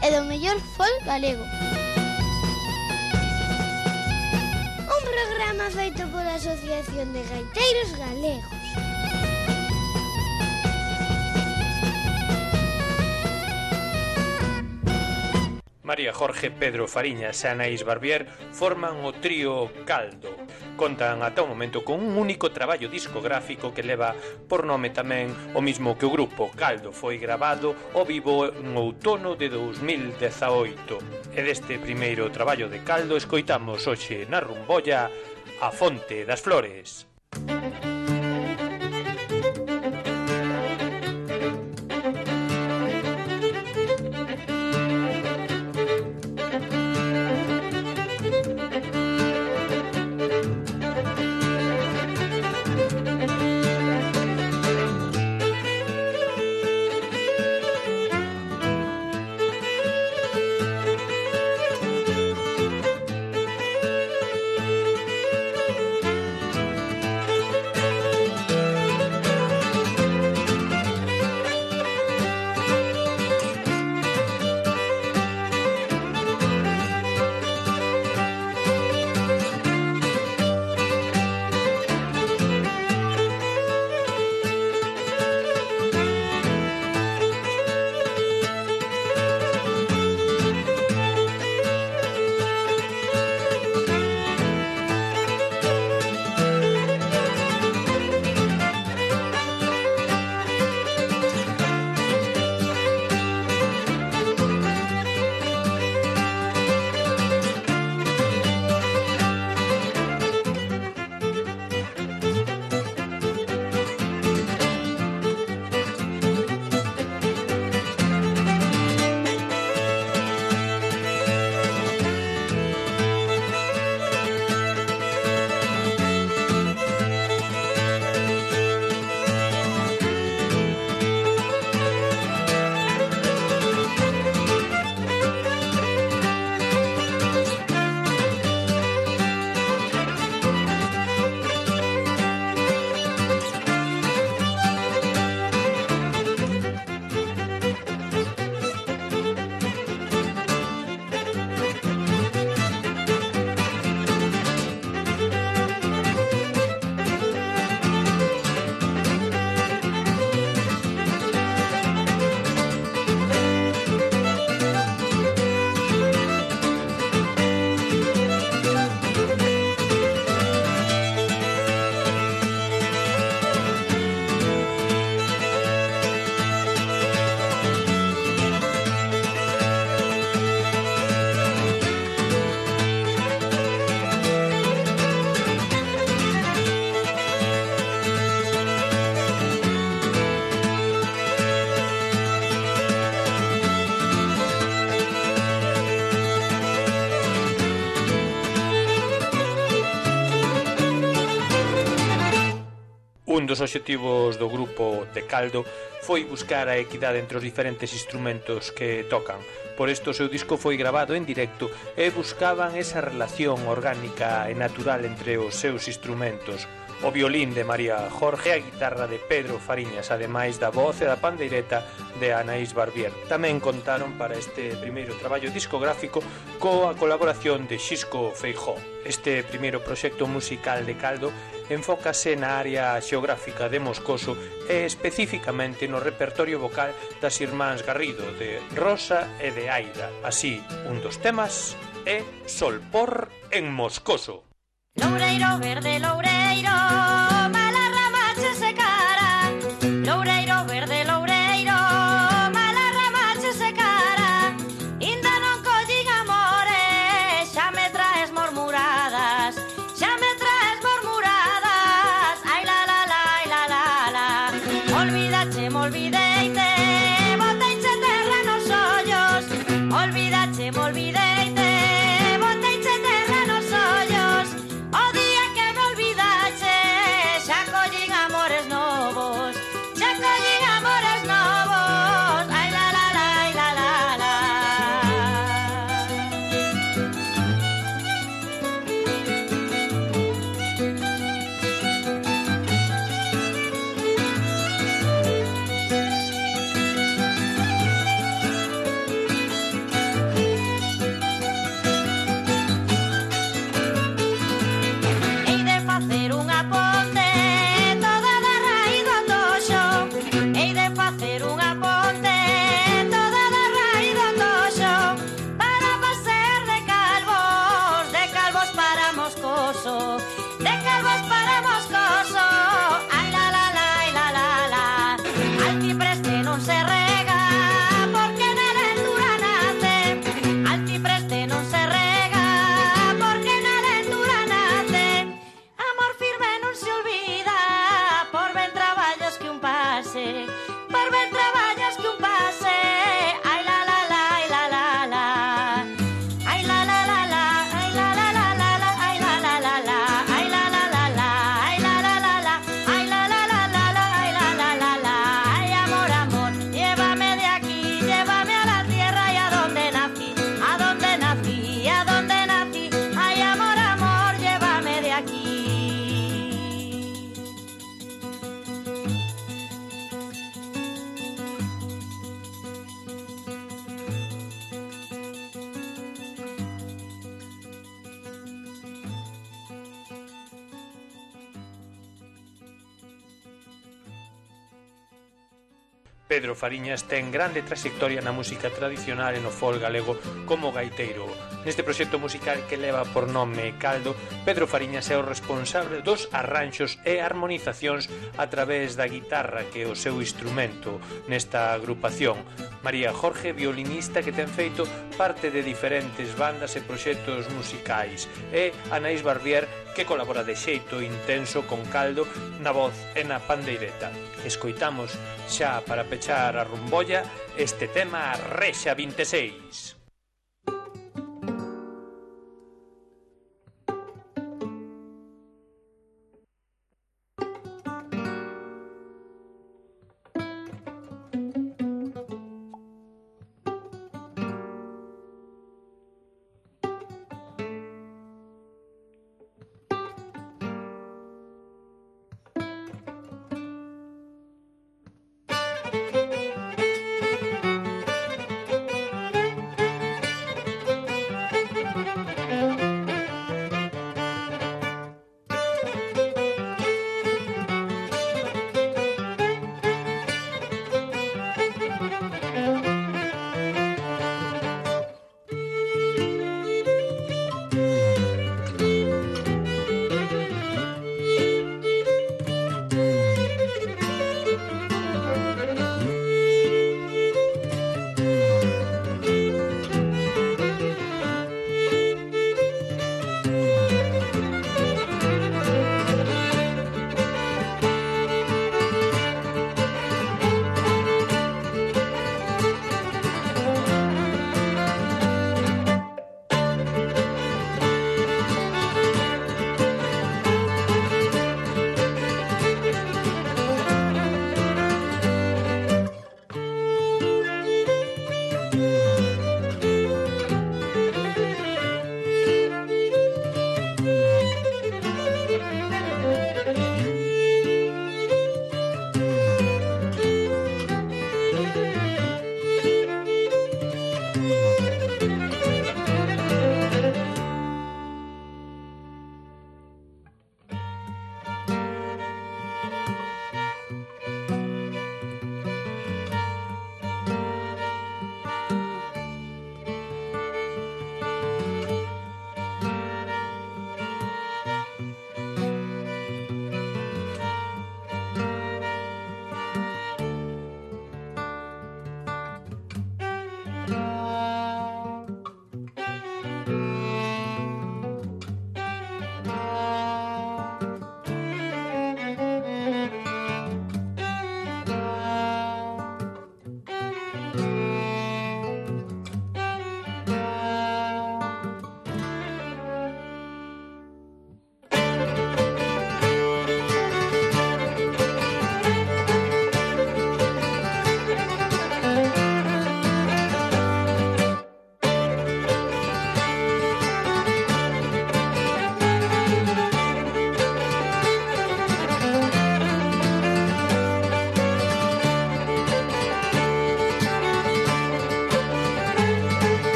e do mellor folk galego. Un programa feito pola Asociación de Gaiteiros Galegos. María Jorge, Pedro Fariñas e Anaís Barbier forman o trío Caldo. Contan ata o momento con un único traballo discográfico que leva por nome tamén o mismo que o grupo. Caldo foi grabado ao vivo en outono de dos mil dezaoito. E deste primeiro traballo de Caldo escoitamos hoxe na Rumboia A Fonte das Flores. Un dos obxectivos do grupo de Caldo foi buscar a equidade entre os diferentes instrumentos que tocan. Por isto o seu disco foi grabado en directo e buscaban esa relación orgánica e natural entre os seus instrumentos. O violín de María Jorge, a guitarra de Pedro Fariñas, ademais da voz e da pandeireta de Anaís Barbier. Tamén contaron para este primeiro traballo discográfico coa colaboración de Xisco Feijó. Este primeiro proxecto musical de Caldo enfócase na área xeográfica de Moscoso e especificamente no repertorio vocal das irmáns Garrido, de Rosa e de Aida. Así, un dos temas é Solpor en Moscoso. Loureiro verde, loureiro, mala ramache se cara. Loureiro verde, loureiro, mala ramache se cara. Inda non collín amores, xa me traes murmuradas, xa me traes murmuradas. Ai la la la, ai la la la. Olvidache, me olvideite, boteiche terra nos ollos. Olvidache, me olvideite, boteiche terra nos ollos. O día que me olvidache, xa collín amores novos, xa collín amores novos. Ai la la la, ai la la la. Hei de facer unha ponte toda da raíz do toxo. Hei de facer unha ponte toda da raíz do toxo para pasar de calvos, de calvos para Moscoso, de calvos para Moscoso. Ai la la la, ai la la la. Alcipreste non se rega porque na ventura nace. Alcipreste non se rega porque na ventura nace. Amor firme non se olvida, por ben traballos que un pase, por ben traballos que un pase. Ai la la la, ai la la la. Ai la la la la, ai la la la la la, ai la la la la, ai la la la la, ai la la la la, ai la la la la la, ai la la la la. Ay amor, amor, llévame de aquí, llévame a la tierra y a donde nací, a donde nací, a donde nací. Ay amor, amor, llévame de aquí. Pedro Fariñas ten grande trayectoria na música tradicional e no folk galego como gaiteiro. Neste proxecto musical que leva por nome Caldo, Pedro Fariñas é o responsable dos arranxos e armonizacións a través da guitarra, que é o seu instrumento nesta agrupación. María Jorge, violinista que ten feito parte de diferentes bandas e proxectos musicais, e Anaís Barbier, que colabora de xeito intenso con Caldo na voz e na pandeireta. Escoitamos xa para pechar a rumbolla este tema Rexa vinte e seis.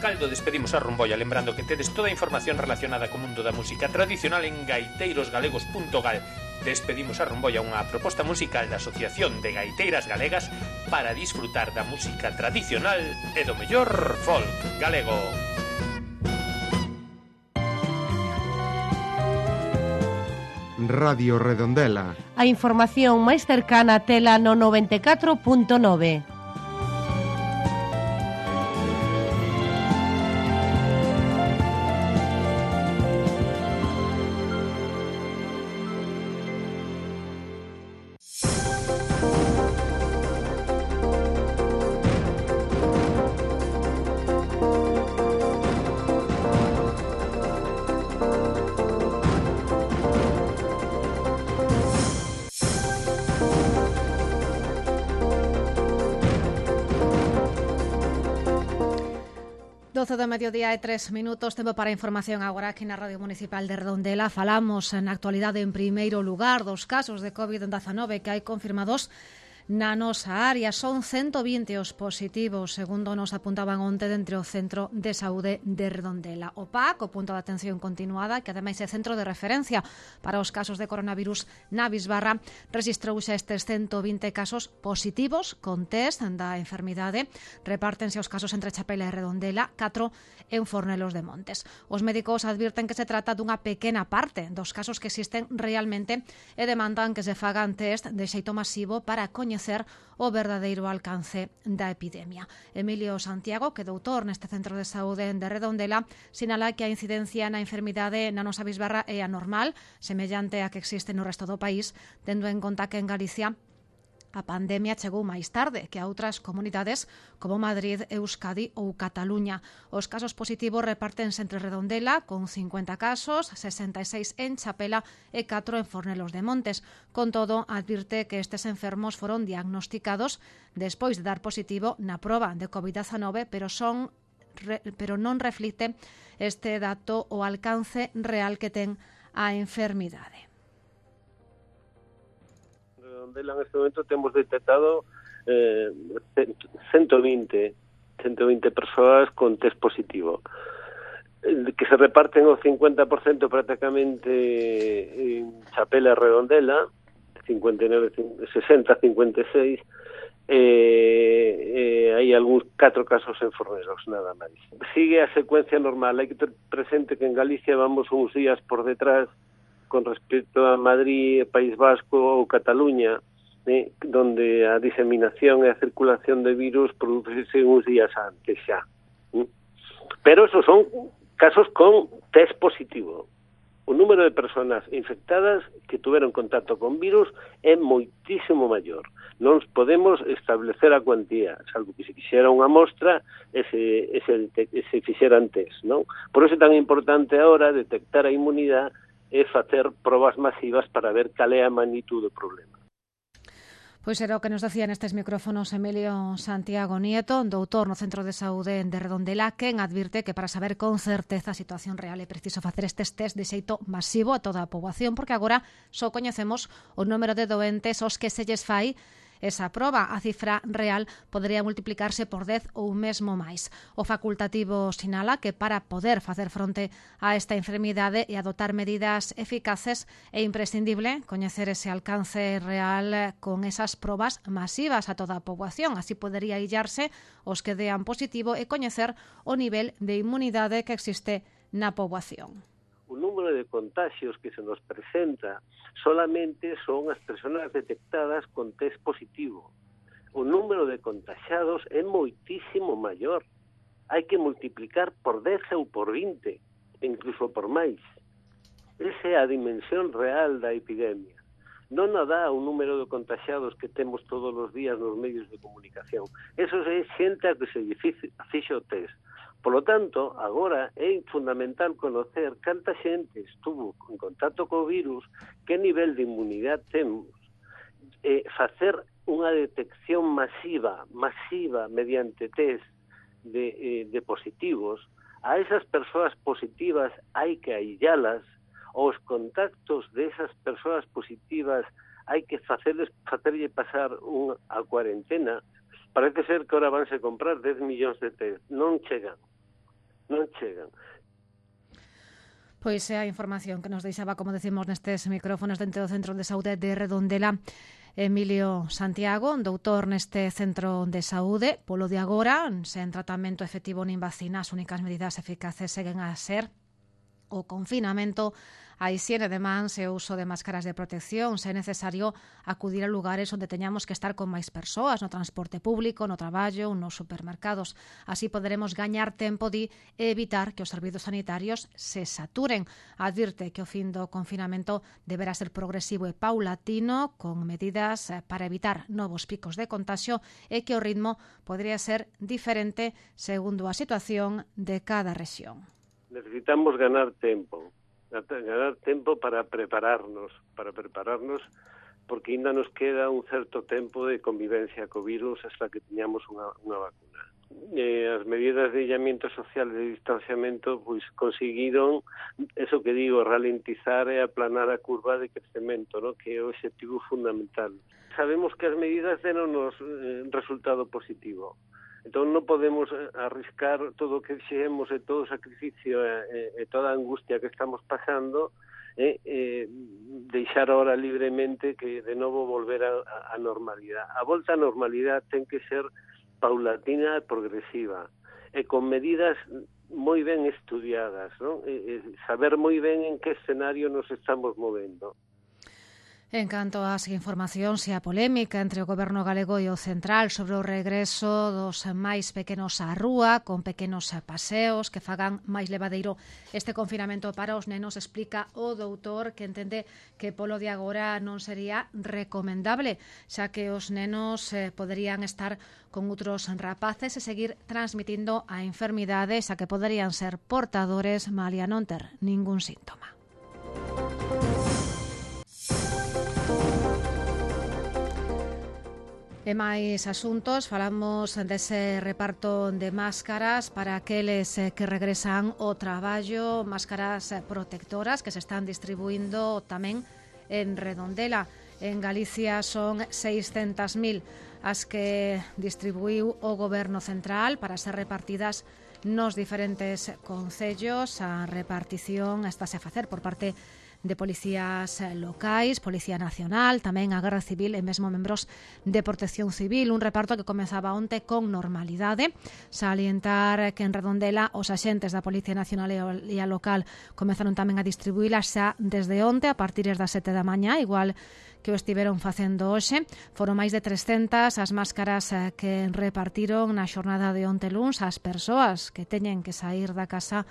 Caldo despedimos a Rumboia, lembrando que tedes toda a información relacionada co mundo da música tradicional en gaiteiros galegos punto gal. Despedimos a Rumboia, unha proposta musical da Asociación de Gaiteiras Galegas para disfrutar da música tradicional e do mellor folk galego. Radio Redondela. A información máis cercana tela no noventa e catro punto nove. doce do mediodía e tres minutos, tempo para información agora aquí na Radio Municipal de Redondela. Falamos na actualidade en primeiro lugar dos casos de covid dezenove que hai confirmados na nosa área. Son ciento vinte os positivos, segundo nos apuntaban onte dentro do Centro de Saúde de Redondela. O P A C, o punto de atención continuada, que ademais é centro de referencia para os casos de coronavirus na Bisbarra, registrouse estes ciento vinte casos positivos con test da enfermidade. Repártense os casos entre Chapela e Redondela, catro en Fornelos de Montes. Os médicos advirten que se trata dunha pequena parte dos casos que existen realmente e demandan que se fagan test de xeito masivo para coñecer o verdadeiro alcance da epidemia. Emilio Santiago, que é doutor neste Centro de Saúde de Redondela, sinala que a incidencia na enfermidade na nosa Bisbarra é anormal, semellante a que existe no resto do país, tendo en conta que en Galicia a pandemia chegou máis tarde que a outras comunidades como Madrid, Euskadi ou Cataluña. Os casos positivos repártense entre Redondela, con cincuenta casos, sesenta e seis en Chapela e catro en Fornelos de Montes. Con todo, advirte que estes enfermos foron diagnosticados despois de dar positivo na proba de covid dezenove, pero son pero non reflicte este dato o alcance real que ten a enfermidade. En este momento temos detectado eh, ciento veinte persoas con test positivo, que se reparten o cincuenta por ciento prácticamente en Chapela e Redondela, cincuenta e nove, sesenta, cincuenta e seis, eh, eh, hai algúns catro casos en Fornelos, nada máis. Sigue a secuencia normal, hai que ter presente que en Galicia vamos uns días por detrás con respecto a Madrid, País Vasco ou Cataluña, eh, donde a diseminación e a circulación de virus produce uns días antes xa. Eh? Pero esos son casos con test positivo. O número de persoas infectadas que tuveron contacto con virus é moitísimo maior. Non podemos establecer a cuantía, salvo que se quixera unha mostra e se, e se, e se fixeran test, non? Por iso é tan importante agora detectar a inmunidade e facer probas masivas para ver cal é a magnitude do problema. Pois era o que nos decía nestes micrófonos Emilio Santiago Nieto, doutor no Centro de Saúde de Redondela, quen advirte que para saber con certeza a situación real é preciso facer estes test de xeito masivo a toda a poboación, porque agora só coñecemos o número de doentes aos que se lles fai esa proba. A cifra real podería multiplicarse por dez ou mesmo máis. O facultativo sinala que para poder facer fronte a esta enfermidade e adoptar medidas eficaces é imprescindible coñecer ese alcance real con esas probas masivas a toda a poboación. Así podería illarse os que dean positivo e coñecer o nivel de inmunidade que existe na poboación. O número de contagios que se nos presenta solamente son as persoas detectadas con test positivo. O número de contagiados é moitísimo maior. Hai que multiplicar por dez ou por vinte, incluso por máis. Esa é a dimensión real da epidemia. Non a dá o número de contagiados que temos todos os días nos medios de comunicación. Eso é xente a que se fixo o test. Por lo tanto, agora é fundamental conocer canta xente estuvo en contacto co virus, que nivel de inmunidade temos, e facer unha detección masiva, masiva mediante test de, eh, de positivos. A esas persoas positivas hai que aillalas, os contactos desas persoas positivas hai que facerles, facerlle pasar unha a cuarentena. Parece ser que ahora vanse comprar dez millóns de test, non chegan. non chegan. Pois é a información que nos deixaba, como decimos nestes micrófonos dentro do Centro de Saúde de Redondela, Emilio Santiago, doutor neste Centro de Saúde. Polo de agora, sen tratamento efectivo nin vacina, as únicas medidas eficaces seguen a ser o confinamento, a higiene de mans e o uso de máscaras de protección. Se é necesario acudir a lugares onde teñamos que estar con máis persoas, no transporte público, no traballo, nos supermercados. Así poderemos gañar tempo di e evitar que os servizos sanitarios se saturen. Advirte que o fin do confinamento deberá ser progresivo e paulatino, con medidas para evitar novos picos de contagio, e que o ritmo podría ser diferente segundo a situación de cada rexión. Necesitamos ganar tempo. ganar tempo para prepararnos, para prepararnos, porque ainda nos queda un certo tempo de convivencia co virus hasta que teñamos unha, unha vacuna. Eh, as medidas de aillamiento social e de distanciamento pois conseguiron, eso que digo, ralentizar e aplanar a curva de crecemento, ¿no? Que é o objetivo fundamental. Sabemos que as medidas deron-nos eh, resultado positivo. Entón non podemos arriscar todo o que fixemos e todo o sacrificio e, e toda a angustia que estamos pasando e eh, deixar ahora libremente que de novo volver a, a normalidade. A volta á normalidade ten que ser paulatina e progresiva e con medidas moi ben estudiadas, ¿no? E, e saber moi ben en que escenario nos estamos movendo. En canto ás informacións e a polémica entre o Goberno galego e o central sobre o regreso dos máis pequenos á rúa, con pequenos paseos que fagan máis levadeiro este confinamento para os nenos, explica o doutor que entende que polo de agora non sería recomendable, xa que os nenos eh, poderían estar con outros rapaces e seguir transmitindo a enfermidade, xa que poderían ser portadores malia non ter ningún síntoma. E máis asuntos, falamos dese reparto de máscaras para aqueles que regresan ao traballo, máscaras protectoras que se están distribuindo tamén en Redondela. En Galicia son seiscentas mil as que distribuiu o Goberno central para ser repartidas nos diferentes concellos. A repartición estáse a facer por parte de policías locais, Policía Nacional, tamén a Garda Civil e mesmo membros de Protección Civil. Un reparto que comezaba onte con normalidade. Salientar que en Redondela os axentes da Policía Nacional e a local comezaron tamén a distribuílas xa desde onte a partir das sete da mañá, igual que o estiveron facendo hoxe. Foron máis de trescentas as máscaras que repartiron na xornada de onte luns ás persoas que teñen que sair da casa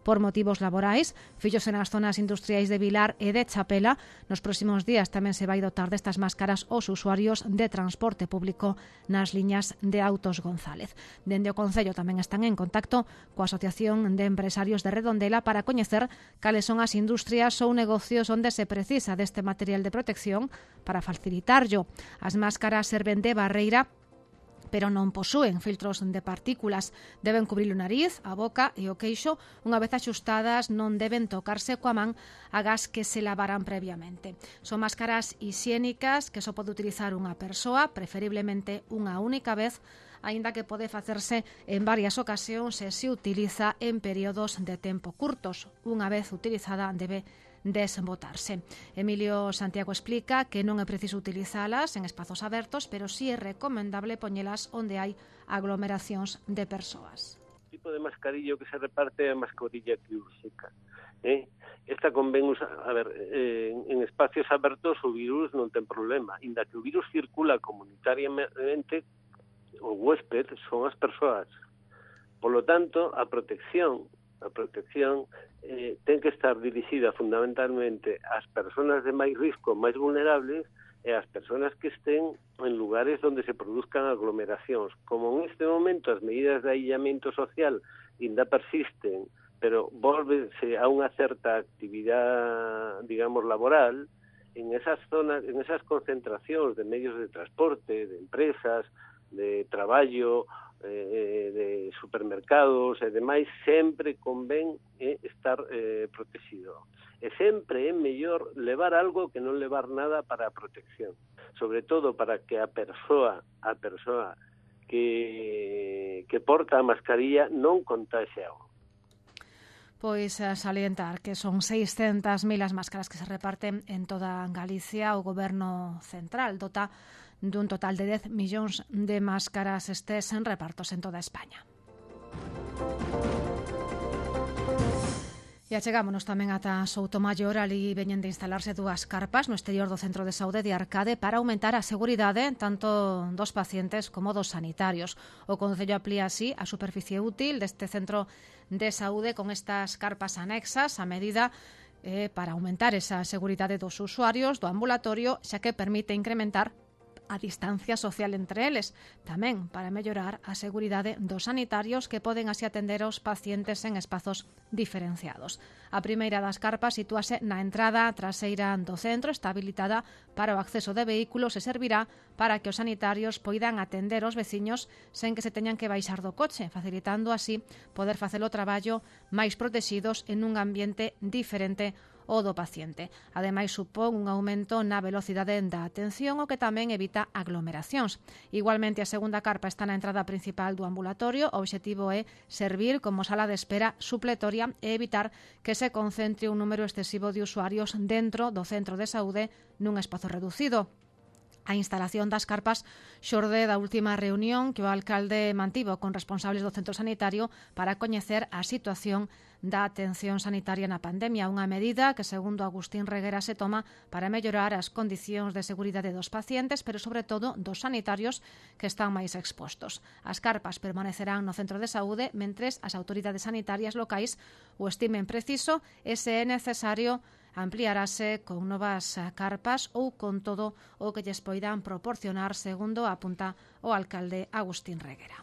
por motivos laborais, fillos nas zonas industriais de Vilar e de Chapela. Nos próximos días tamén se vai dotar destas máscaras aos usuarios de transporte público nas liñas de Autos González. Dende o Concello tamén están en contacto coa Asociación de Empresarios de Redondela para coñecer cales son as industrias ou negocios onde se precisa deste material de protección para facilitarllo. As máscaras serven de barreira, pero non posúen filtros de partículas. Deben cubrir o nariz, a boca e o queixo. Unha vez axustadas non deben tocarse coa man agás que se lavaran previamente. Son máscaras hixiénicas que só pode utilizar unha persoa, preferiblemente unha única vez, aínda que pode facerse en varias ocasións se se utiliza en períodos de tempo curtos. Unha vez utilizada debe desbotarse. Emilio Santiago explica que non é preciso utilizalas en espazos abertos, pero sí é recomendable poñelas onde hai aglomeracións de persoas. O tipo de mascarillo que se reparte é a mascarilla quirúrxica. Eh? Esta convén usar, a ver, eh, en espacios abertos o virus non ten problema, inda que o virus circula comunitariamente, o huésped son as persoas. Por lo tanto, a protección a protección eh, ten que estar dirixida fundamentalmente ás persoas de máis risco, máis vulnerables, e ás persoas que estén en lugares onde se produzcan aglomeracións. Como en este momento as medidas de aillamento social ainda persisten, pero volvense a unha certa actividade, digamos, laboral, en esas zonas, en esas concentracións de medios de transporte, de empresas, de traballo, eh, de supermercados e demais, sempre convén eh, estar eh, protegido. E sempre é mellor levar algo que non levar nada para a protección, sobre todo para que a persoa, a persoa que, que porta a mascarilla non contaxe algo. Pois a salientar que son seiscentas mil as máscaras que se reparten en toda Galicia. O Goberno Central dota dun total de dez millóns de máscaras estes en repartos en toda España. E achegámonos tamén ata Soutomaior. Ali veñen de instalarse dúas carpas no exterior do Centro de Saúde de Arcade para aumentar a seguridade tanto dos pacientes como dos sanitarios. O Concello amplía así a superficie útil deste centro de saúde con estas carpas anexas a medida eh, para aumentar esa seguridade dos usuarios do ambulatorio, xa que permite incrementar a distancia social entre eles, tamén para mellorar a seguridade dos sanitarios que poden así atender aos pacientes en espazos diferenciados. A primeira das carpas sitúase na entrada traseira do centro, está habilitada para o acceso de vehículos e servirá para que os sanitarios poidan atender os veciños sen que se teñan que baixar do coche, facilitando así poder facer o traballo máis protegidos en un ambiente diferente o do paciente. Ademais, supón un aumento na velocidade da atención, o que tamén evita aglomeracións. Igualmente, a segunda carpa está na entrada principal do ambulatorio. O obxectivo é servir como sala de espera supletoria e evitar que se concentre un número excesivo de usuarios dentro do centro de saúde nun espazo reducido. A instalación das carpas xorde da última reunión que o alcalde mantivo con responsables do centro sanitario para coñecer a situación da atención sanitaria na pandemia, unha medida que, segundo Agustín Reguera, se toma para mellorar as condicións de seguridade dos pacientes, pero sobre todo dos sanitarios que están máis expostos. As carpas permanecerán no centro de saúde mentres as autoridades sanitarias locais o estimen preciso e, se é necesario, ampliarase con novas carpas ou con todo o que lles poidan proporcionar, segundo apunta o alcalde Agustín Reguera.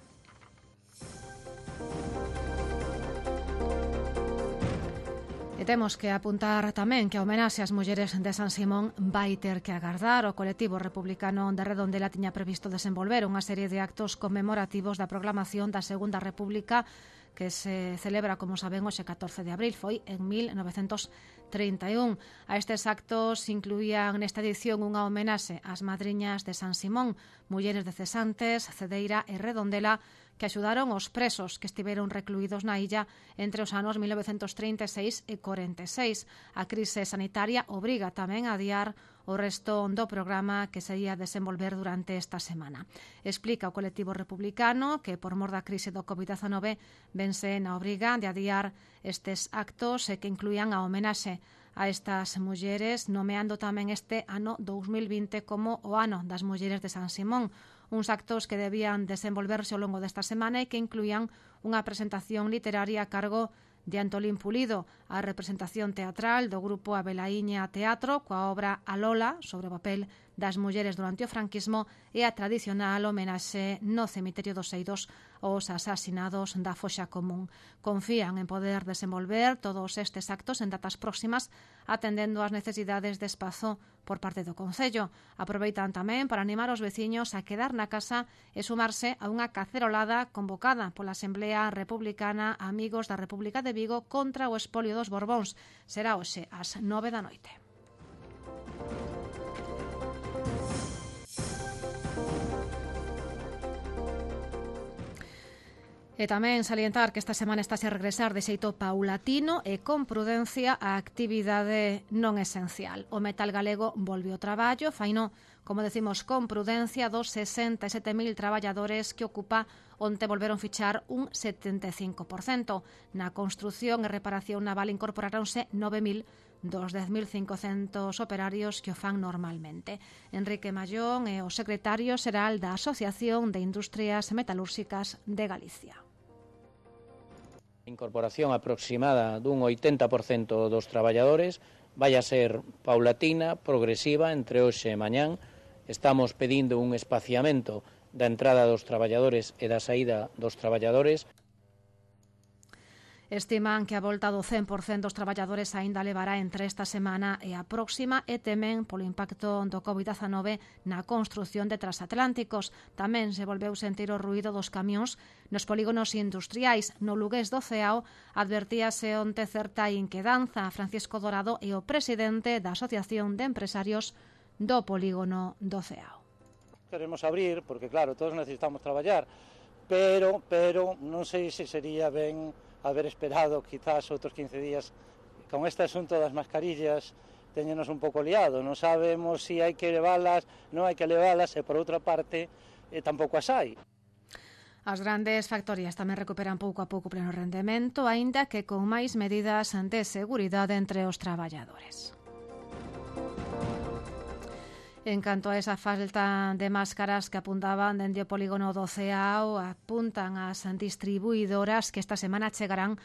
E temos que apuntar tamén que a homenaxe ás mulleres de San Simón vai ter que agardar. O colectivo republicano de Redondela tiña previsto desenvolver unha serie de actos conmemorativos da proclamación da Segunda República que se celebra, como saben, hoxe catorce de abril, foi en mil novecentos trinta e un. A estes actos incluían nesta edición unha homenaxe ás madriñas de San Simón, mulleres de Cesantes, Cedeira e Redondela, que axudaron os presos que estiveron recluídos na illa entre os anos mil novecentos trinta e seis e corenta e seis. A crise sanitaria obriga tamén a adiar o resto do programa que se ia desenvolver durante esta semana. Explica o colectivo republicano que, por mor da crise do covid dezenove, vense na obriga de adiar estes actos e que incluían a homenaxe a estas mulleres, nomeando tamén este ano dous mil vinte como o ano das mulleres de San Simón, uns actos que debían desenvolverse ao longo desta semana e que incluían unha presentación literaria a cargo de Antolín Pulido, a representación teatral do grupo Abelaíña Teatro coa obra A Lola sobre o papel das mulleres durante o franquismo e a tradicional homenaxe no cemiterio dos Eidos aos asasinados da foxa común. Confían en poder desenvolver todos estes actos en datas próximas atendendo ás necesidades de espazo por parte do Concello. Aproveitan tamén para animar os veciños a quedar na casa e sumarse a unha cacerolada convocada pola Asamblea Republicana Amigos da República de Vigo contra o espolio dos Borbóns. Será hoxe ás nove da noite. E tamén salientar que esta semana está a regresar de xeito paulatino e con prudencia a actividade non esencial. O metal galego volve ao traballo, faino, como decimos, con prudencia dos sesenta e sete mil traballadores que ocupa onte volveron fichar un setenta e cinco por cento. Na construción e reparación naval incorporáronse nove mil dos dez mil cincocentos operarios que o fan normalmente. Enrique Mallón é o secretario xeral da Asociación de Industrias Metalúrxicas de Galicia. Incorporación aproximada dun oitenta por cento dos traballadores vai a ser paulatina, progresiva, entre hoxe e mañán. Estamos pedindo un espaciamento da entrada dos traballadores e da saída dos traballadores. Estiman que a volta do cen por cento dos traballadores aínda levará entre esta semana e a próxima e temen polo impacto do covid dezenove na construción de transatlánticos. Tamén se volveu sentir o ruído dos camións nos polígonos industriais. No lugués do Ceao advertíase onte certa inquedanza. Francisco Dorado é o presidente da Asociación de Empresarios do polígono do Ceao. Queremos abrir porque, claro, todos necesitamos traballar, pero, pero non sei se sería ben haber esperado quizás outros quince días. Con este asunto das mascarillas teñenos un pouco liado, non sabemos se si hai que leválas, non hai que leválas, e por outra parte eh, tampouco as hai. As grandes factorías tamén recuperan pouco a pouco pleno rendemento, aínda que con máis medidas de seguridade entre os traballadores. En canto a esa falta de máscaras que apuntaban dende o polígono do Ceao, apuntan as distribuidoras que esta semana chegarán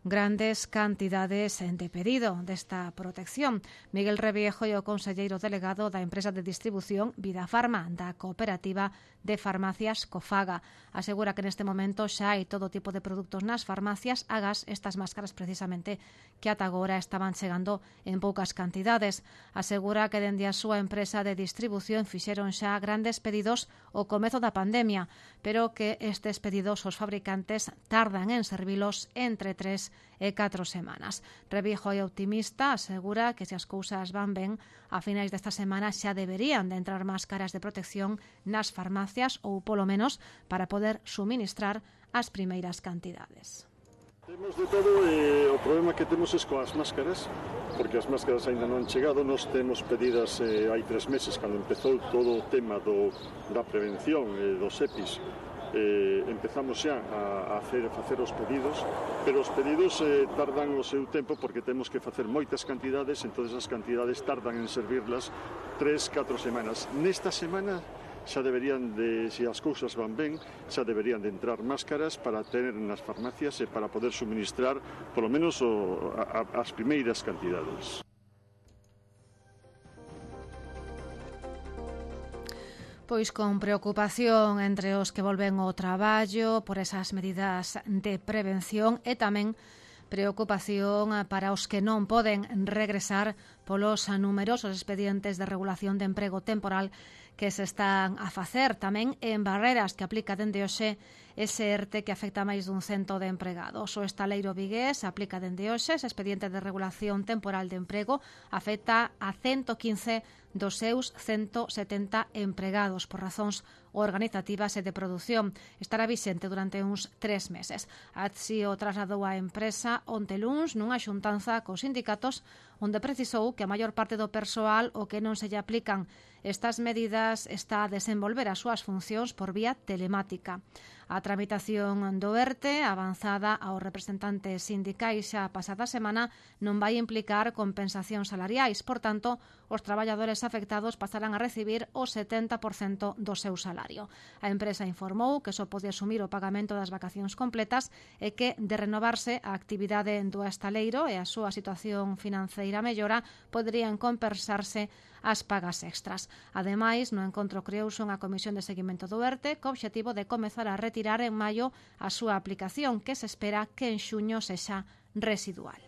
grandes cantidades de pedido desta protección. Miguel Reviejo é o conselleiro delegado da empresa de distribución Vida Farma, da cooperativa de farmacias Cofaga. Asegura que neste momento xa hai todo tipo de produtos nas farmacias, agás estas máscaras precisamente que ata agora estaban chegando en poucas cantidades. Asegura que dende a súa empresa de distribución fixeron xa grandes pedidos ao comezo da pandemia, pero que estes pedidos os fabricantes tardan en servilos entre tres e catro semanas. Reviejo é optimista, asegura que se as cousas van ben, a finais desta semana xa deberían de entrar máscaras de protección nas farmacias ou polo menos para poder suministrar as primeiras cantidades. Temos de todo, eh, o problema que temos é coas máscaras, porque as máscaras ainda non han chegado. Nos temos pedidas eh, hai tres meses, cando empezou todo o tema do, da prevención eh, dos EPIs. Eh, empezamos xa a, a, hacer, a facer os pedidos, pero os pedidos eh, tardan o seu tempo porque temos que facer moitas cantidades, entón as cantidades tardan en servirlas tres, catro semanas. Nesta semana xa deberían de, se as cousas van ben, xa deberían de entrar máscaras para ter nas farmacias e para poder suministrar polo menos o, a, as primeiras cantidades. Pois con preocupación entre os que volven ao traballo por esas medidas de prevención e tamén preocupación para os que non poden regresar polos numerosos expedientes de regulación de emprego temporal que se están a facer, tamén en barreras que aplica dende hoxe ese ERTE que afecta a máis dun cento de empregados. O estaleiro vigués aplica dende hoxe ese expediente de regulación temporal de emprego, afecta a ciento quince dos seus ciento setenta empregados por razóns organizativas e de produción. Estará vixente durante uns tres meses. Así o trasladou a empresa onte luns nunha xuntanza cos sindicatos onde precisou que a maior parte do persoal o que non se lle aplican estas medidas está a desenvolver as súas funcións por vía telemática. A tramitación do ERTE, avanzada aos representantes sindicais xa pasada semana, non vai implicar compensacións salariais. Por tanto, os traballadores afectados pasarán a recibir o setenta por cento do seu salario. A empresa informou que só pode asumir o pagamento das vacacións completas e que, de renovarse a actividade do estaleiro e a súa situación financeira mellora, poderían compensarse as pagas extras. Ademais, no encontro creouse unha comisión de seguimento do ERTE co obxectivo de comezar a retirar en maio a súa aplicación, que se espera que en xuño sexa residual.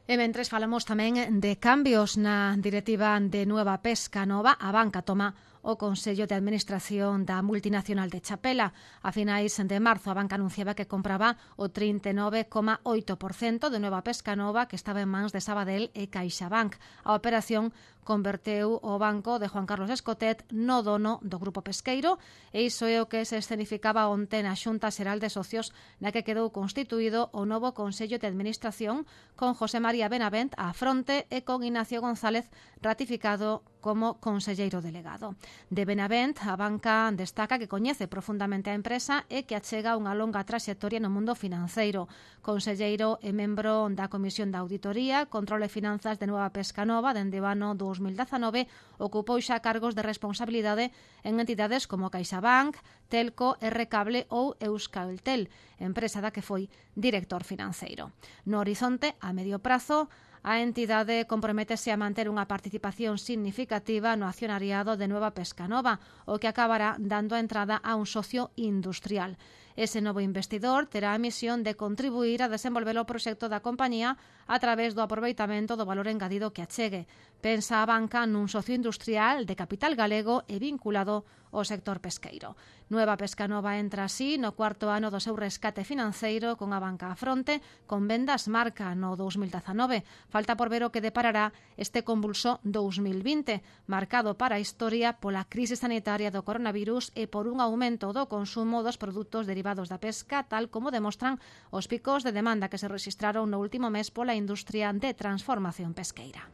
E mentres falamos tamén de cambios na directiva de Nueva Pesca Nova, a banca toma o Consello de Administración da multinacional de Chapela. A finais de marzo, a banca anunciaba que compraba o trinta e nove coma oito por cento de Nueva Pesca Nova, que estaba en mans de Sabadell e CaixaBank. A operación converteu o banco de Juan Carlos Escotet no dono do grupo pesqueiro, e iso é o que se escenificaba onte na Xunta Xeral de Socios, na que quedou constituído o novo Consello de Administración con José María Benavent á fronte e con Ignacio González ratificado como conselleiro delegado. De Benavent, a banca destaca que coñece profundamente a empresa e que achega unha longa traxectoria no mundo financeiro. Conselleiro e membro da Comisión de Auditoría, Control e Finanzas de Nueva Pesca Nova dende o ano dous mil dezanove, ocupou xa cargos de responsabilidade en entidades como CaixaBank, Telco, R-Cable ou Euskaltel, empresa da que foi director financeiro. No horizonte, a medio prazo, a entidade comprométese a manter unha participación significativa no accionariado de Nueva Pesca Nova, o que acabará dando a entrada a un socio industrial. Ese novo investidor terá a misión de contribuir a desenvolver o proxecto da compañía a través do aproveitamento do valor engadido que achegue. Pensa a banca nun socio industrial de capital galego e vinculado ao sector pesqueiro. Nueva Pescanova entra así no cuarto ano do seu rescate financeiro con a banca á fronte, con vendas marca no dous mil dezanove. Falta por ver o que deparará este convulso dous mil vinte, marcado para a historia pola crise sanitaria do coronavirus e por un aumento do consumo dos produtos derivados da pesca, tal como demostran os picos de demanda que se registraron no último mes pola industria de transformación pesqueira.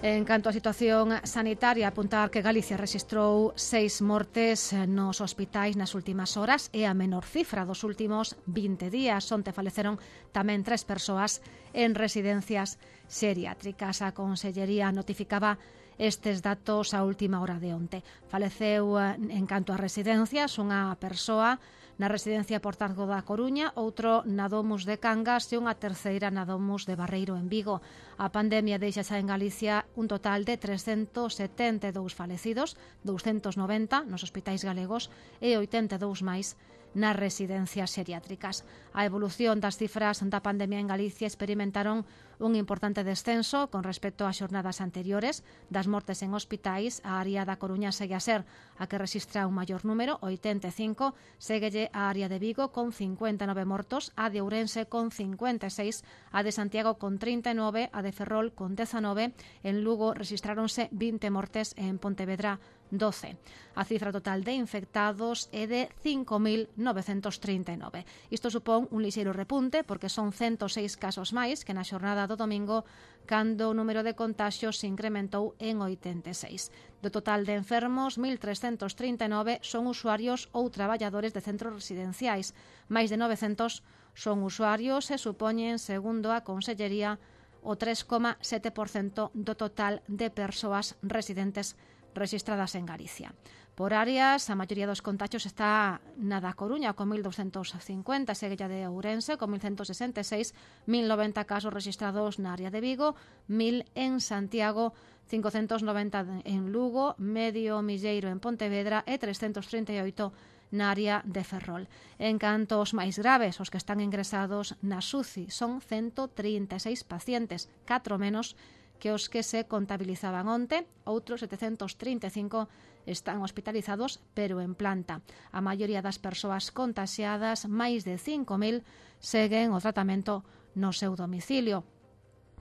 En canto á situación sanitaria, apuntar que Galicia rexistrou seis mortes nos hospitais nas últimas horas e a menor cifra dos últimos vinte días. Onte faleceron tamén tres persoas en residencias xeriátricas. A Consellería notificaba estes datos a última hora de onte. Faleceu en canto a residencias unha persoa na residencia Portargo da Coruña, outro na Domus de Cangas e unha terceira na Domus de Barreiro en Vigo. A pandemia deixa xa en Galicia un total de trescentos setenta e dous falecidos, douscentos noventa nos hospitais galegos e oitenta e dous máis nas residencias xeriátricas. A evolución das cifras da pandemia en Galicia experimentaron un importante descenso con respecto ás xornadas anteriores. Das mortes en hospitais, a área da Coruña segue a ser a que rexistra un maior número, oitenta e cinco, séguelle a área de Vigo con cincuenta e nove mortos, a de Ourense con cincuenta e seis, a de Santiago con trinta e nove, a de Ferrol con dezanove, en Lugo rexistráronse vinte mortes e en Pontevedra doce. A cifra total de infectados é de cinco mil novecentos trinta e nove. Isto supón un lixeiro repunte porque son ciento seis casos máis que na xornada do domingo, cando o número de contaxios se incrementou en oitenta e seis. Do total de enfermos, mil trescentos trinta e nove son usuarios ou traballadores de centros residenciais. Máis de novecentos son usuarios e supoñen, segundo a Consellería, o tres coma sete por cento do total de persoas residentes registradas en Galicia. Por áreas, a maioría dos contagios está na da Coruña con mil doscientos cincuenta, segue a de Ourense con mil ciento sesenta e seis, mil noventa casos registrados na área de Vigo, mil en Santiago, cincocentos noventa en Lugo, medio milleiro en Pontevedra e trescentos trinta e oito na área de Ferrol. En canto aos máis graves, os que están ingresados na S U C I son ciento trinta e seis pacientes, catro menos que os que se contabilizaban onte. Outros setecentos trinta e cinco están hospitalizados, pero en planta. A maioría das persoas contaxiadas, máis de cinco mil, seguen o tratamento no seu domicilio.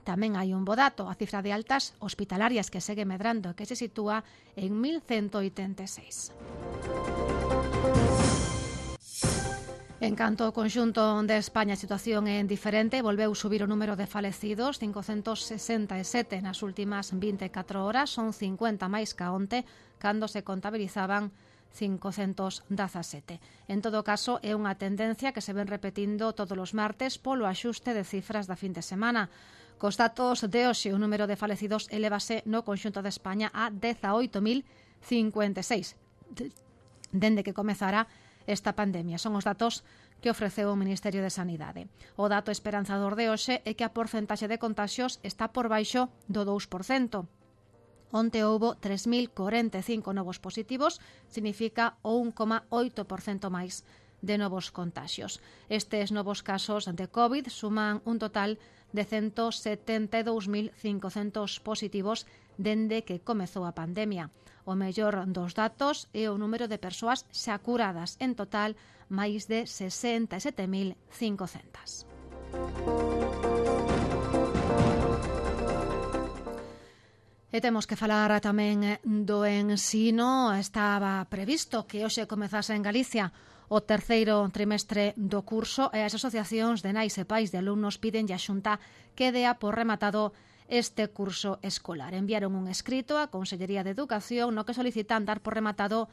Tamén hai un bo dato, a cifra de altas hospitalarias que segue medrando, que se sitúa en mil ciento oitenta e seis. En canto ao conxunto de España, a situación é diferente. Volveu subir o número de falecidos, cincocentos sesenta e sete nas últimas vinte e catro horas, son cincuenta máis ca onte, cando se contabilizaban cincocentos dezasete. En todo caso, é unha tendencia que se ven repetindo todos os martes polo axuste de cifras da fin de semana. Cos datos de hoxe, o número de falecidos elevase no conxunto de España a dezaoito mil cincuenta e seis, dende que comezara esta pandemia. Son os datos que ofreceu o Ministerio de Sanidade. O dato esperanzador de hoxe é que a porcentaxe de contaxios está por baixo do dous por cento. Onte houbo tres mil corenta e cinco novos positivos, significa o un coma oito por cento máis de novos contaxios. Estes novos casos de COVID suman un total de ciento setenta e dous mil cincocentos positivos dende que comezou a pandemia. O mellor dos datos é o número de persoas xa curadas, en total máis de sesenta e sete mil cincocentas. E temos que falar tamén do ensino. Estaba previsto que hoxe comezase en Galicia o terceiro trimestre do curso e as asociacións de nais e pais de alumnos piden a Xunta que dea por rematado este curso escolar. Enviaron un escrito á Consellería de Educación no que solicitan dar por rematado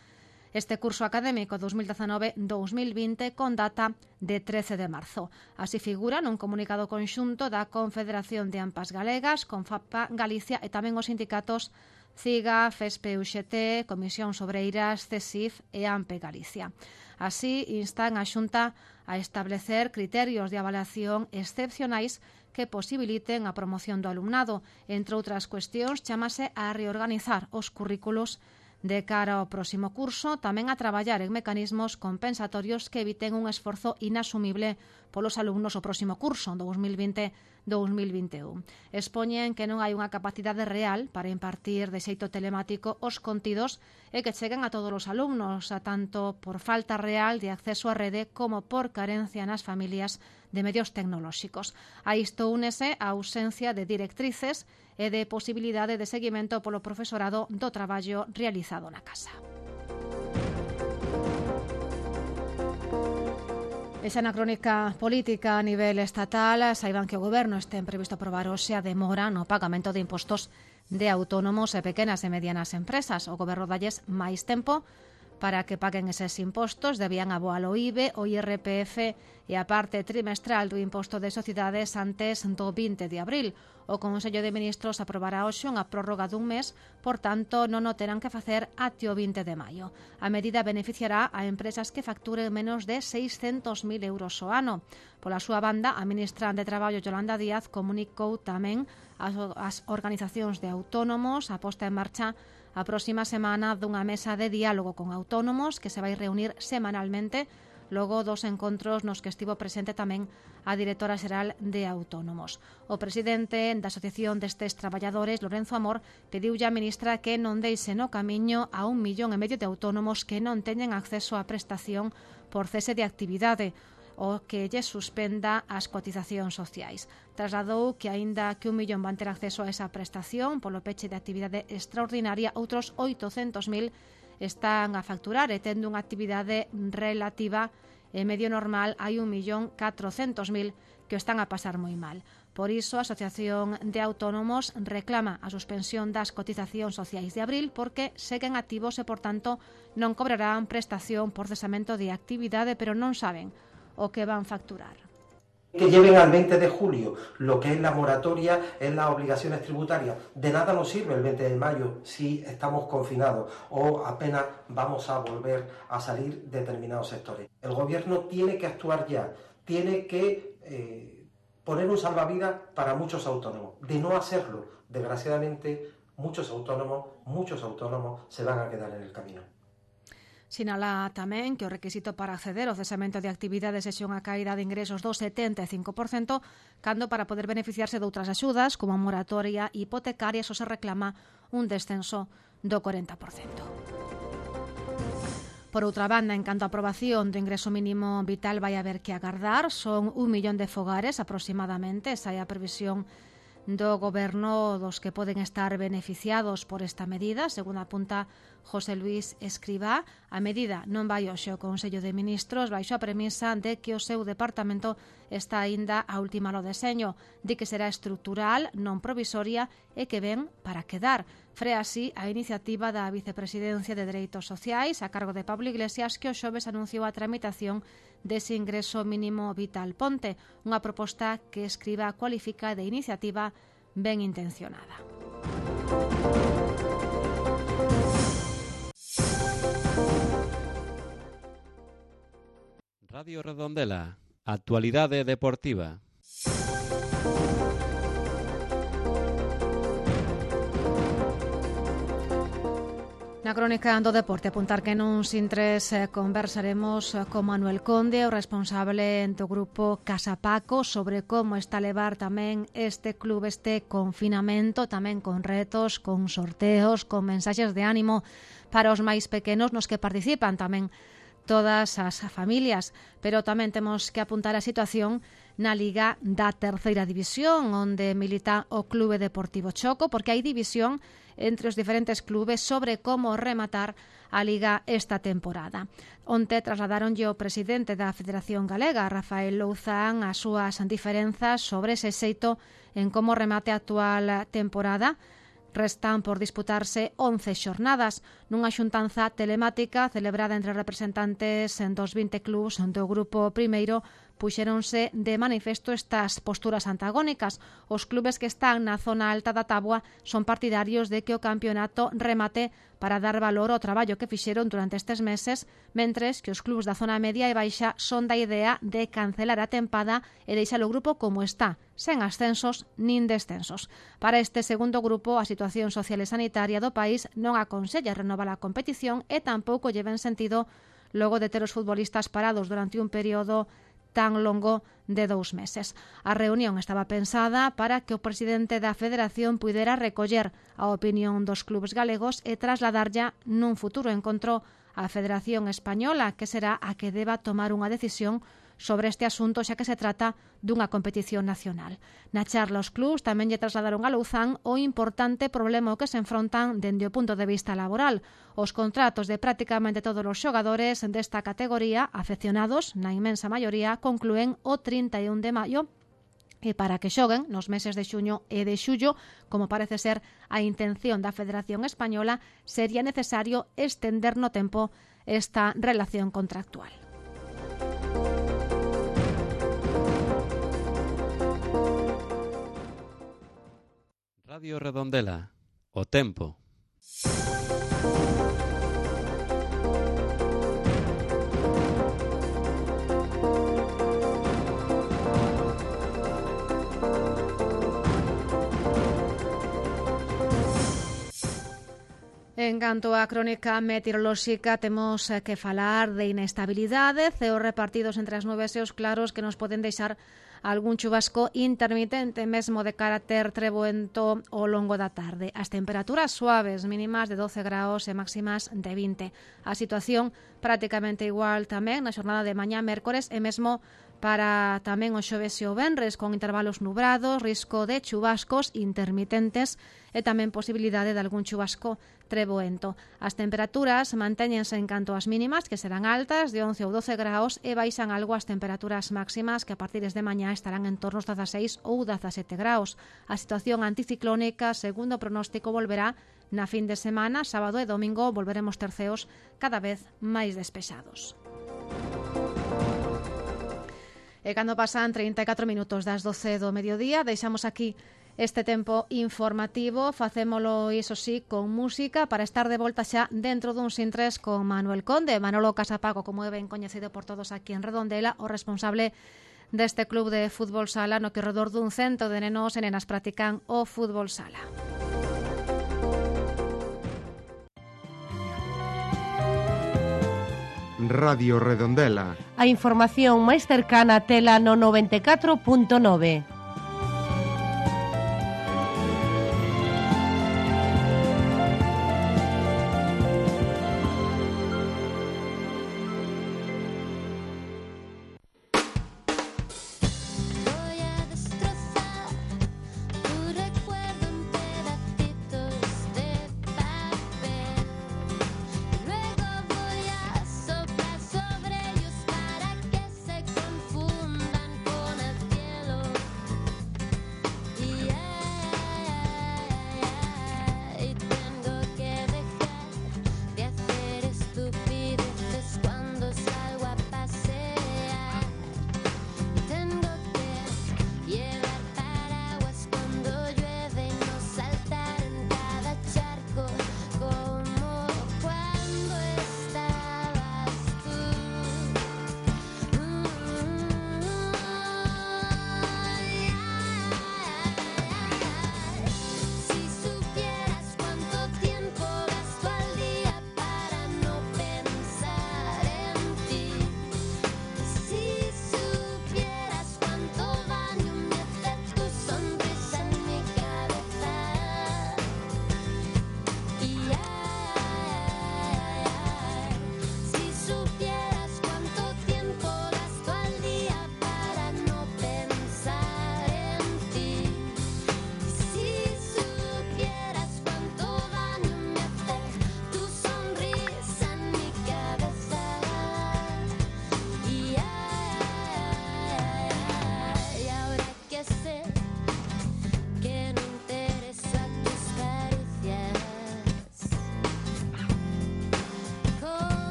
este curso académico dos mil dezanove dos mil vinte con data de trece de marzo. Así figura nun comunicado conxunto da Confederación de AMPAs Galegas, Confapa Galicia e tamén os sindicatos CIGA, FESPE, U X T, Comisión Obreiras, CESIF e AMPE Galicia. Así instan a Xunta a establecer criterios de avaliación excepcionais que posibiliten a promoción do alumnado. Entre outras cuestións, chámase a reorganizar os currículos de cara ao próximo curso, tamén a traballar en mecanismos compensatorios que eviten un esforzo inasumible polos alumnos o próximo curso, dous mil vinte dous mil vinte e un. Expoñen que non hai unha capacidade real para impartir de xeito telemático os contidos e que cheguen a todos os alumnos, a tanto por falta real de acceso á rede como por carencia nas familias de medios tecnolóxicos. A isto únese a ausencia de directrices e de posibilidade de seguimento polo profesorado do traballo realizado na casa. Esa na crónica política a nivel estatal, saiban que o Goberno ten previsto aprobar hoxe a demora no pagamento de impostos de autónomos e pequenas e medianas empresas. O Goberno dalles máis tempo para que paguen eses impostos, debían aboar o I B E, o I R P F e a parte trimestral do imposto de sociedades antes do vinte de abril. O Consello de Ministros aprobará hoxe unha prórroga dun mes, por tanto, non o terán que facer até o vinte de maio. A medida beneficiará a empresas que facturen menos de seiscentos mil euros ao ano. Pola súa banda, a ministra de Traballo, Yolanda Díaz, comunicou tamén ás organizacións de autónomos a posta en marcha a próxima semana dunha mesa de diálogo con autónomos que se vai reunir semanalmente logo dos encontros nos que estivo presente tamén a directora xeral de Autónomos. O presidente da Asociación destes traballadores, Lorenzo Amor, pediulle á ministra que non deixe no camiño a un millón e medio de autónomos que non teñen acceso á prestación por cese de actividade o que lle suspenda as cotizacións sociais. Trasladou que, aínda que un millón van ter acceso a esa prestación polo peche de actividade extraordinaria, outros oitocentos mil están a facturar e tendo unha actividade relativa e medio normal hai un millón catrocentos mil que o están a pasar moi mal. Por iso, a Asociación de Autónomos reclama a suspensión das cotizacións sociais de abril porque seguen activos e, por tanto, non cobrarán prestación por cesamento de actividade, pero non saben o que van facturar. Que lleven al veinte de julio lo que es la moratoria en las obligaciones tributarias. De nada nos sirve el veinte de mayo si estamos confinados o apenas vamos a volver a salir determinados sectores. El gobierno tiene que actuar ya, tiene que eh, poner un salvavidas para muchos autónomos. De no hacerlo, desgraciadamente, muchos autónomos, muchos autónomos se van a quedar en el camino. Sinala tamén que o requisito para acceder ao cesamento de actividades é unha caída de ingresos do setenta e cinco por cento, cando para poder beneficiarse de outras axudas, como a moratoria hipotecaria, só se reclama un descenso do corenta por cento. Por outra banda, en canto a aprobación do ingreso mínimo vital vai haber que agardar, son un millón de fogares aproximadamente, esa é a previsión do Goberno dos que poden estar beneficiados por esta medida, según apunta José Luis Escribá. A medida non vai hoxe ao Consello de Ministros baixo a premisa de que o seu departamento está aínda a ultimar o deseño, de que será estrutural, non provisoria e que ven para quedar. Frea así a iniciativa da Vicepresidencia de Dereitos Sociais a cargo de Pablo Iglesias, que o xoves anunciou a tramitación dese ingreso mínimo vital ponte, unha proposta que Escribá cualifica de iniciativa ben intencionada. Radio Redondela, actualidade deportiva. Na crónica do deporte, apuntar que nuns intres conversaremos con Manuel Conde, o responsable do grupo Casa Paco, sobre como está a levar tamén este club, este confinamento, tamén con retos, con sorteos, con mensaxes de ánimo para os máis pequenos, nos que participan tamén todas as familias, pero tamén temos que apuntar a situación na Liga da Terceira División, onde milita o Clube Deportivo Choco, porque hai división entre os diferentes clubes sobre como rematar a Liga esta temporada. Onte trasladaronlle o presidente da Federación Galega, Rafael Louzán, as súas diferenzas sobre ese xeito en como remate a actual temporada. Restan por disputarse once xornadas nunha xuntanza telemática celebrada entre representantes dos vinte clubs do grupo primeiro puxéronse de manifesto estas posturas antagónicas. Os clubes que están na zona alta da táboa son partidarios de que o campeonato remate para dar valor ao traballo que fixeron durante estes meses, mentres que os clubes da zona media e baixa son da idea de cancelar a tempada e deixar o grupo como está, sen ascensos nin descensos. Para este segundo grupo, a situación social e sanitaria do país non aconsella renovar a competición e tampouco lle ven sentido logo de ter os futbolistas parados durante un período tan longo de dous meses. A reunión estaba pensada para que o presidente da Federación puidera recoller a opinión dos clubes galegos e trasladarlla nun futuro encontro á Federación Española, que será a que deba tomar unha decisión sobre este asunto, xa que se trata dunha competición nacional. Na charla, os clubs tamén lle trasladaron a Louzán o importante problema ao que se enfrontan dende o punto de vista laboral. Os contratos de prácticamente todos os xogadores desta categoría, afeccionados, na inmensa maioría, conclúen o trinta e un de maio, e para que xoguen nos meses de xuño e de xullo, como parece ser a intención da Federación Española, sería necesario estender no tempo esta relación contractual. Radio Redondela, o tempo. En canto á crónica meteorolóxica, temos que falar de inestabilidade, ceos repartidos entre as nubes e os claros que nos poden deixar algún chubasco intermitente, mesmo de carácter treboento ao longo da tarde. As temperaturas suaves, mínimas de doce graus e máximas de vinte. A situación prácticamente igual tamén na xornada de mañá mércores e mesmo para tamén o xoves e o venres, con intervalos nubrados, risco de chubascos intermitentes e tamén posibilidade de algún chubasco treboento. As temperaturas mantéñense en canto ás mínimas, que serán altas, de once ou doce graus, e baixan algo as temperaturas máximas, que a partir de mañá estarán en torno aos dezaseis ou dezasete graus. A situación anticiclónica, segundo o pronóstico, volverá na fin de semana. Sábado e domingo volveremos ter ceos cada vez máis despexados. E cando pasan trinta e catro minutos das doce do mediodía, deixamos aquí este tempo informativo. Facémolo, iso sí, con música para estar de volta xa dentro dun sintres con Manuel Conde. Manolo Casapago, como é ben coñecido por todos aquí en Redondela, o responsable deste club de fútbol sala no que redor dun cento de nenos e nenas practican o fútbol sala. Radio Redondela. A información máis cercana tela no noventa e catro punto nove.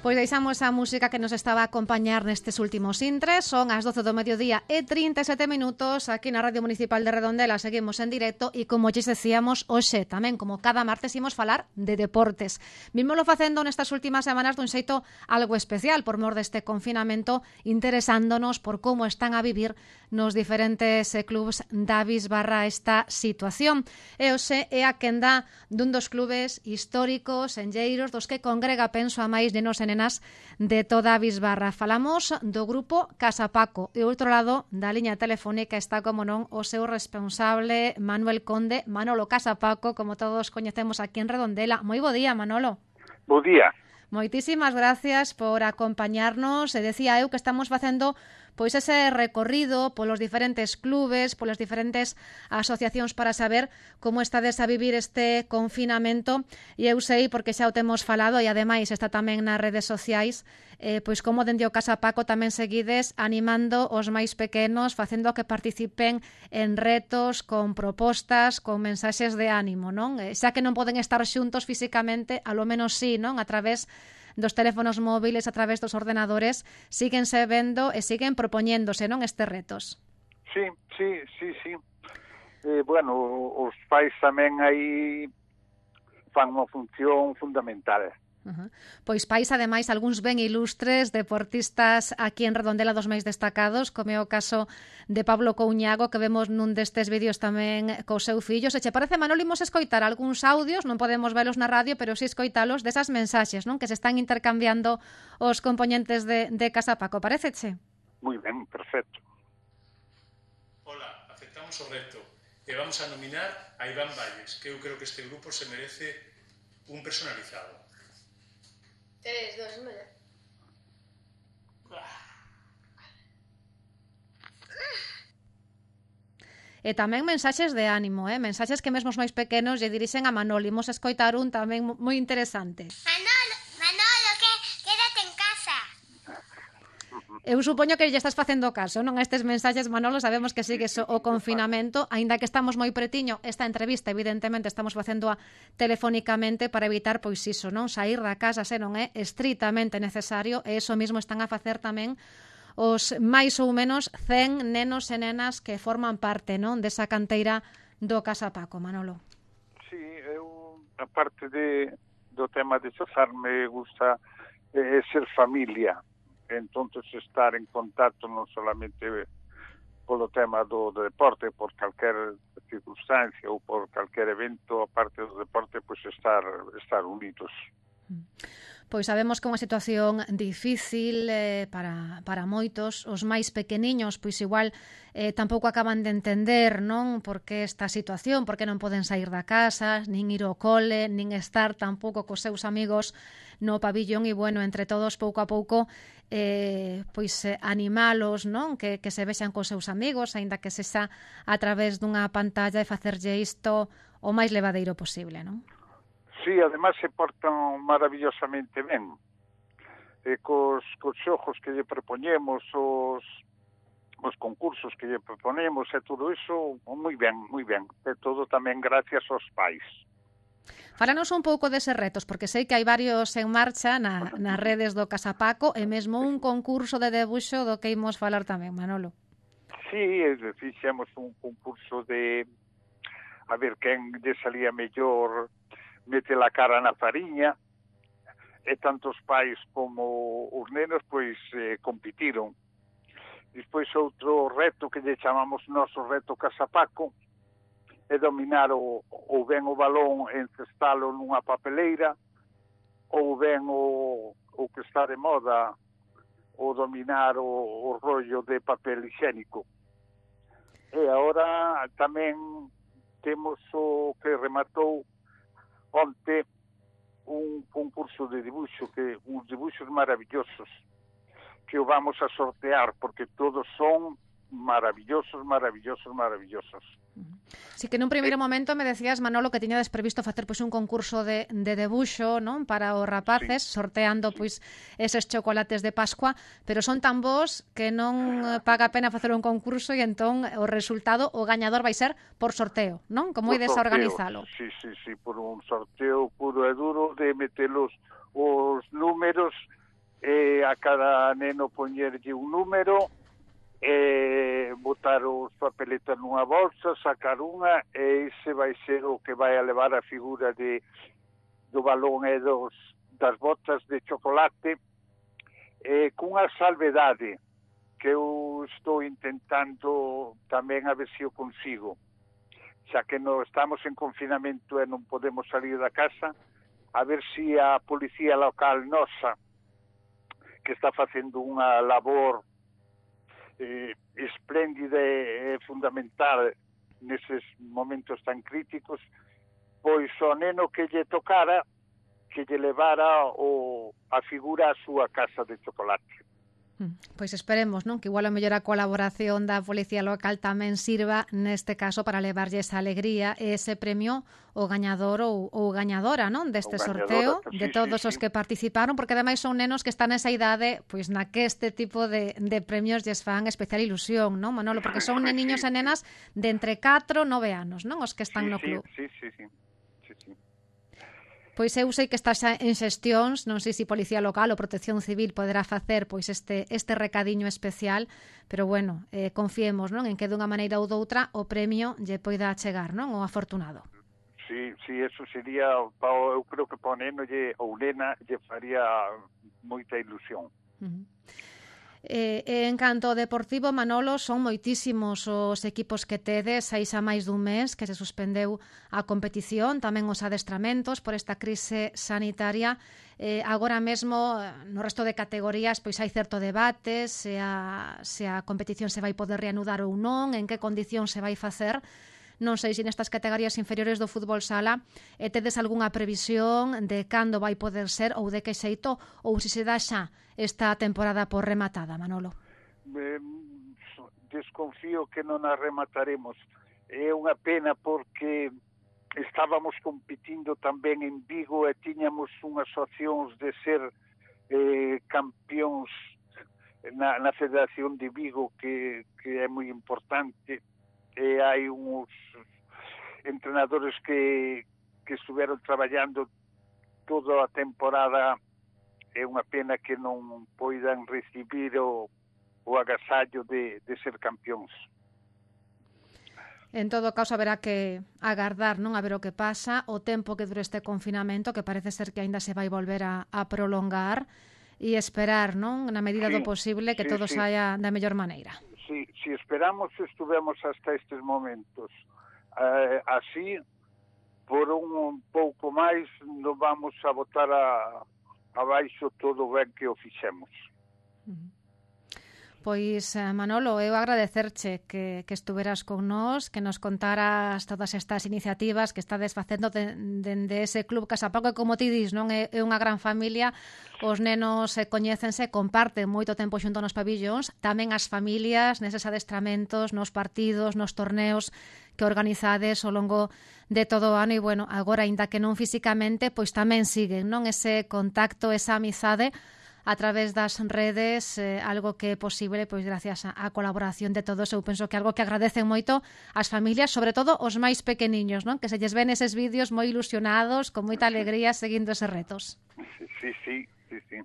Pois deixamos a música que nos estaba a acompañar nestes últimos intres. Son as doce do mediodía e trinta e sete minutos aquí na Radio Municipal de Redondela. Seguimos en directo e, como lles decíamos, hoxe tamén, como cada martes, imos falar de deportes. Vímolo facendo nestas últimas semanas dun xeito algo especial por mor deste confinamento, interesándonos por como están a vivir nos diferentes eh, clubs da Bisbarra esta situación. E hoxe é a quenda dun dos clubes históricos, enlleiros, dos que congrega, penso, a máis nenos e nenas de toda a Bisbarra. Falamos do grupo Casa Paco e, outro lado da liña telefónica, está, como non, o seu responsable, Manuel Conde, Manolo Casa Paco, como todos coñecemos aquí en Redondela. Moi bo día, Manolo. Bo día. Moitísimas gracias por acompañarnos. E decía eu que estamos facendo pois ese recorrido polos diferentes clubes, polas diferentes asociacións para saber como estades a vivir este confinamento. E eu sei, porque xa o temos falado e ademais está tamén nas redes sociais, eh, pois como dende o Casa Paco tamén seguides animando os máis pequenos, facendo que participen en retos, con propostas, con mensaxes de ánimo, non? Eh, xa que non poden estar xuntos físicamente, a lo menos sí, non? A través dos teléfonos móviles, a través dos ordenadores, síguense vendo e siguen propoñéndose, non, estes retos. Sí, sí, sí, sí. Eh, bueno, os pais tamén aí fan unha función fundamental. Uh-huh. Pois pais, ademais, algúns ben ilustres, deportistas aquí en Redondela dos máis destacados, como é o caso de Pablo Couñago, que vemos nun destes vídeos tamén co seu fillo. Se che parece, Manolo, imos escoitar algúns audios, non podemos velos na radio, pero si escoitalos desas mensaxes, non, que se están intercambiando os componentes de, de Casa Paco. Paréceche? Moi ben, perfecto. Hola, aceptamos o reto e vamos a nominar a Iván Valles, que eu creo que este grupo se merece un personalizado. Tres, dos, uno, ya. E tamén mensaxes de ánimo, eh? Mensaxes que mesmo os máis pequenos lle dirixen a Manolo. Imos escoitar un tamén moi interesante. Manolo, Manolo, que quédate en casa. Eu supoño que lle estás facendo caso, non, a estes mensaxes, Manolo. Sabemos que sigues o confinamento, aínda que estamos moi pretiño. Esta entrevista, evidentemente, estamos facéndoa telefónicamente para evitar, pois iso, non, sair da casa se non é estritamente necesario, e iso mesmo están a facer tamén os máis ou menos cen nenos e nenas que forman parte, non, desa canteira do Casa Paco, Manolo. Sí, eu, a parte de, do tema de xozar, me gusta eh, ser familia. Entonces estar en contacto non solamente polo tema do, do deporte, por calquer circunstancia ou por calquer evento, aparte do deporte, pois estar, estar unidos. Pois sabemos que é unha situación difícil eh, para, para moitos. Os máis pequeniños, pois igual eh, tampouco acaban de entender, non, por que esta situación, por que non poden sair da casa, nin ir ao cole, nin estar tampouco cos seus amigos no pabillón. E, bueno, entre todos, pouco a pouco, eh, pois eh, animalos, non, que, que se vexan cos seus amigos, aínda que se xa a través dunha pantalla, e facerlle isto o máis levadeiro posible, non? Sí, además se portan maravillosamente ben. E cos, cos xogos que lle propoñemos, os, os concursos que lle proponemos e todo iso, moi ben, moi ben. E todo tamén gracias aos pais. Fálanos un pouco deses retos, porque sei que hai varios en marcha na, nas redes do Casa Paco, e mesmo un concurso de debuxo do que imos falar tamén, Manolo. Sí, fixemos un concurso de a ver quen lle salía mellor mete la cara na fariña, e tanto os pais como os nenos pois eh, compitiron. Despois outro reto que lle chamamos noso reto Casa Paco é dominar o, ou ben o balón e encestalo nunha papeleira, ou ben o, o que está de moda, o dominar o, o rollo de papel higiénico. E agora tamén temos o que rematou onte un concurso de dibuixo, que uns dibuixos maravillosos que o vamos a sortear, porque todos son maravillosos, maravillosos, maravillosos. Si que nun primeiro momento me decías, Manolo, que tiñades previsto facer pois un concurso de, de debuxo, non, para os rapaces, sí, sorteando pois eses chocolates de Pascua, pero son tan bons que non paga a pena facer un concurso, e entón o resultado, o gañador vai ser por sorteo, non? Como ides a organizalo? Sí, sí, sí, por un sorteo puro e duro de meter os, os números e a cada neno poñerlle un número, e botar os papeletas nunha bolsa, sacar unha, e ese vai ser o que vai a levar a figura de do balón e dos, das botas de chocolate, e cunha salvedade que eu estou intentando tamén a ver se o consigo, xa que no estamos en confinamento e non podemos salir da casa, a ver se a policía local nosa, que está facendo unha labor eh, espléndida e fundamental neses momentos tan críticos, pois o neno que lle tocara, que lle levara o, a figura a súa casa de chocolate. Pois esperemos, non? Que igual a mellor a colaboración da Policía Local tamén sirva neste caso para levarlle esa alegría e ese premio o gañador ou, ou gañadora, non? Deste sorteo, sí, de todos sí, os sí. que participaron, porque ademais son nenos que están nesa idade, pois na que este tipo de, de premios lles fan especial ilusión, non, Manolo? Porque son neniños e nenas de entre catro e nove anos, non? Os que están sí, no club. Sí, sí, sí. sí, sí. Pois eu sei que está xa en xestións, non sei se Policía Local ou Protección Civil poderá facer pois este este recadiño especial, pero bueno, eh, confiemos, non, en que dunha maneira ou doutra o premio lle poida chegar, non, o afortunado. Sí, sí, eso sería, eu creo que para o neno lle, ou nena lle faría moita ilusión. Uh-huh. Eh, en canto ao deportivo, Manolo, son moitísimos os equipos que tedes, hai xa máis dun mes que se suspendeu a competición, tamén os adestramentos por esta crise sanitaria. Eh, agora mesmo, no resto de categorías, pois hai certo debate se a, se a competición se vai poder reanudar ou non, en que condición se vai facer. Non sei se nestas categorías inferiores do fútbol sala e tedes algunha previsión de cando vai poder ser ou de que xeito, ou se se dá xa esta temporada por rematada, Manolo? Eh, desconfío que non a remataremos. É unha pena porque estábamos competindo tamén en Vigo e tiñamos unhas opcións de ser eh, campións na, na Federación de Vigo, que, que é moi importante. E hai uns entrenadores que, que estuveron traballando toda a temporada. É unha pena que non poidan recibir o, o agasallo de, de ser campións. En todo caso, haberá que agardar, non, a ver o que pasa, o tempo que dure este confinamento, que parece ser que aínda se vai volver a, a prolongar, e esperar, non, na medida sí, do posible, que sí, todo sí. saia da mellor maneira. Si, si esperamos, estuvemos hasta estes momentos. Eh, así, por un pouco máis, non vamos a botar a, abaixo todo o ben que o fixemos. Pois, Manolo, eu agradecerche que, que estuveras con nós, que nos contaras todas estas iniciativas que estades facendo dende de, de ese club Casapaco, que, como ti dis, non é, é unha gran familia, os nenos se coñécense, comparten moito tempo xunto nos pabillóns, tamén as familias neses adestramentos, nos partidos, nos torneos que organizades ao longo de todo o ano, e, bueno, agora, aínda que non físicamente, pois tamén siguen, non, ese contacto, esa amizade a través das redes, eh, algo que é posible pois gracias á colaboración de todos. Eu penso que algo que agradecen moito as familias, sobre todo os máis pequeniños, non? Que se lles ven eses vídeos moi ilusionados, con moita alegría, seguindo eses retos. Sí, sí, sí, sí.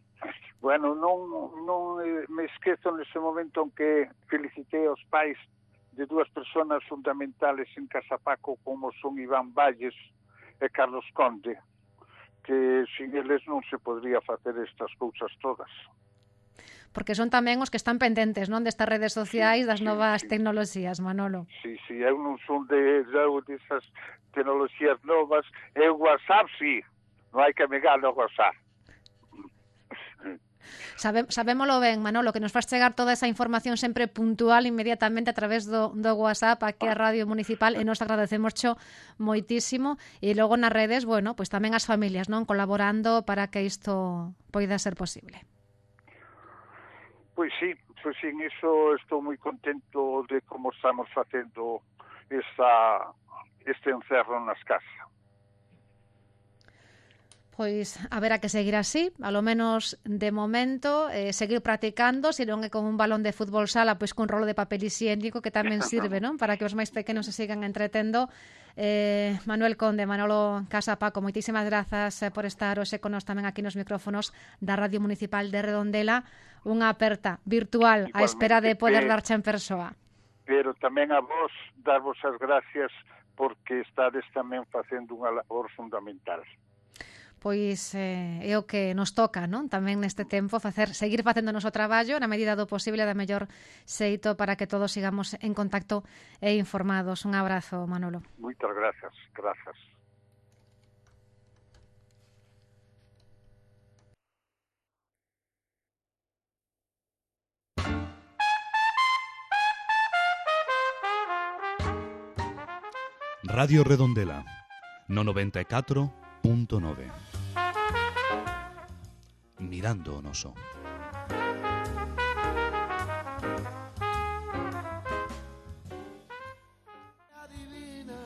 Bueno, non, non me esquezo nese momento en que felicitei aos pais de dúas persoas fundamentales en Casapaco, como son Iván Valles e Carlos Conde, que sin eles non se podría facer estas cousas todas. Porque son tamén os que están pendentes, non, destas redes sociais, sí, das novas sí, tecnoloxías, Manolo. Sí, sí, eu non son de, de desas tecnoloxías novas. E o WhatsApp, sí, non hai que negar o WhatsApp. Sabe, sabémolo ben, Manolo, que nos faz chegar toda esa información sempre puntual inmediatamente a través do, do WhatsApp aquí a Radio Municipal, e nos agradecemos xo moitísimo, e logo nas redes, bueno, pois tamén as familias, non, colaborando para que isto poida ser posible. Pois sí, pois sí, en iso estou moi contento de como estamos facendo esta, este encerro nas casas. Pois haberá que seguir así, a lo menos de momento, eh, seguir practicando, se non é con un balón de fútbol sala, pois con rolo de papel higiénico, que tamén sirve, non? Para que os máis pequenos se sigan entretendo. Eh, Manuel Conde, Manolo Casa Paco, moitísimas grazas por estar hoxe con nós tamén aquí nos micrófonos da Radio Municipal de Redondela. Unha aperta virtual á espera de poder darche en persoa. Pero tamén a vos darvos as gracias porque estades tamén facendo unha labor fundamental. Pois eh, é o que nos toca, non? Tamén neste tempo facer seguir facendo o noso traballo na medida do posible da mellor xeito para que todos sigamos en contacto e informados. Un abrazo, Manolo. Moitas grazas, grazas. Radio Redondela, no noventa e catro punto nove. Mirando o noso. Adivina,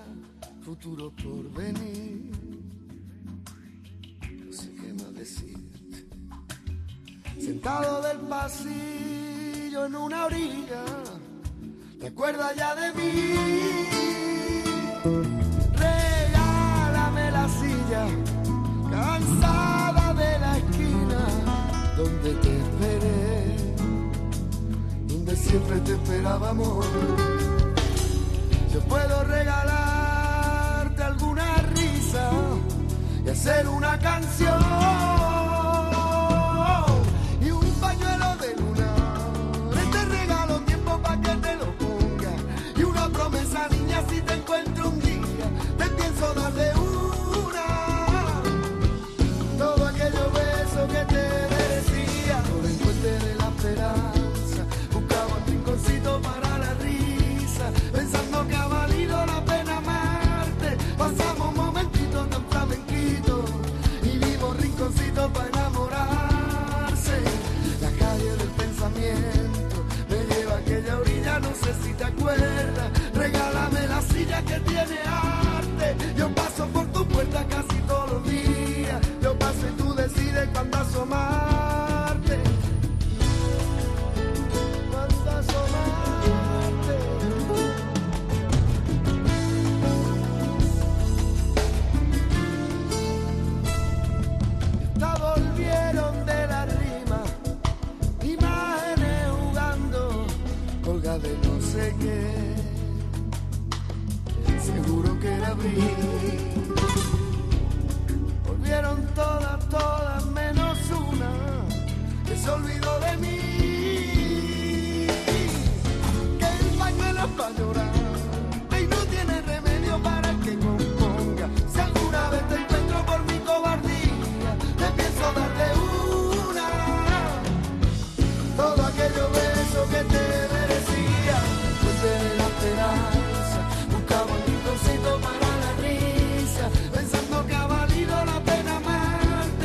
futuro por venir. No sé qué más decirte. Sentado del pasillo en una orilla, ¿te acuerdas ya de mí? Regálame la silla, cansada de la esquina donde te esperé, donde siempre te esperábamos. Yo puedo regalarte alguna risa y hacer una canción y un pañuelo de luna. Te regalo tiempo para que te lo ponga y una promesa, niña, si te encuentro un día te pienso dar de una. Todo aquello beso que te merecía por el puente de la esperanza, buscaba un rinconcito para la risa, pensando que ha valido la pena amarte. Pasamos momentitos tan flamenquitos y vimos rinconcitos para enamorarse. La calle del pensamiento me lleva a aquella orilla, no sé si te acuerdas. Regálame la silla que tiene arte, yo paso por tu puerta casi todos los días. Yo paso y tú decides cuándo asomarte. Cuándo asomarte. Ya volvieron de la rima, imágenes jugando, colga de no sé qué. Seguro que era abril. Volvieron todas, todas menos una que se olvidó de mí. Que el pañuelo es para llorar y no tiene remedio para el que componga. Si alguna vez te encuentro por mi cobardía, te pienso dar de una. Todo aquello beso que te merecía, pues de la esperanza, buscaba un rinconcito para la risa, pensando que ha valido la pena amarte.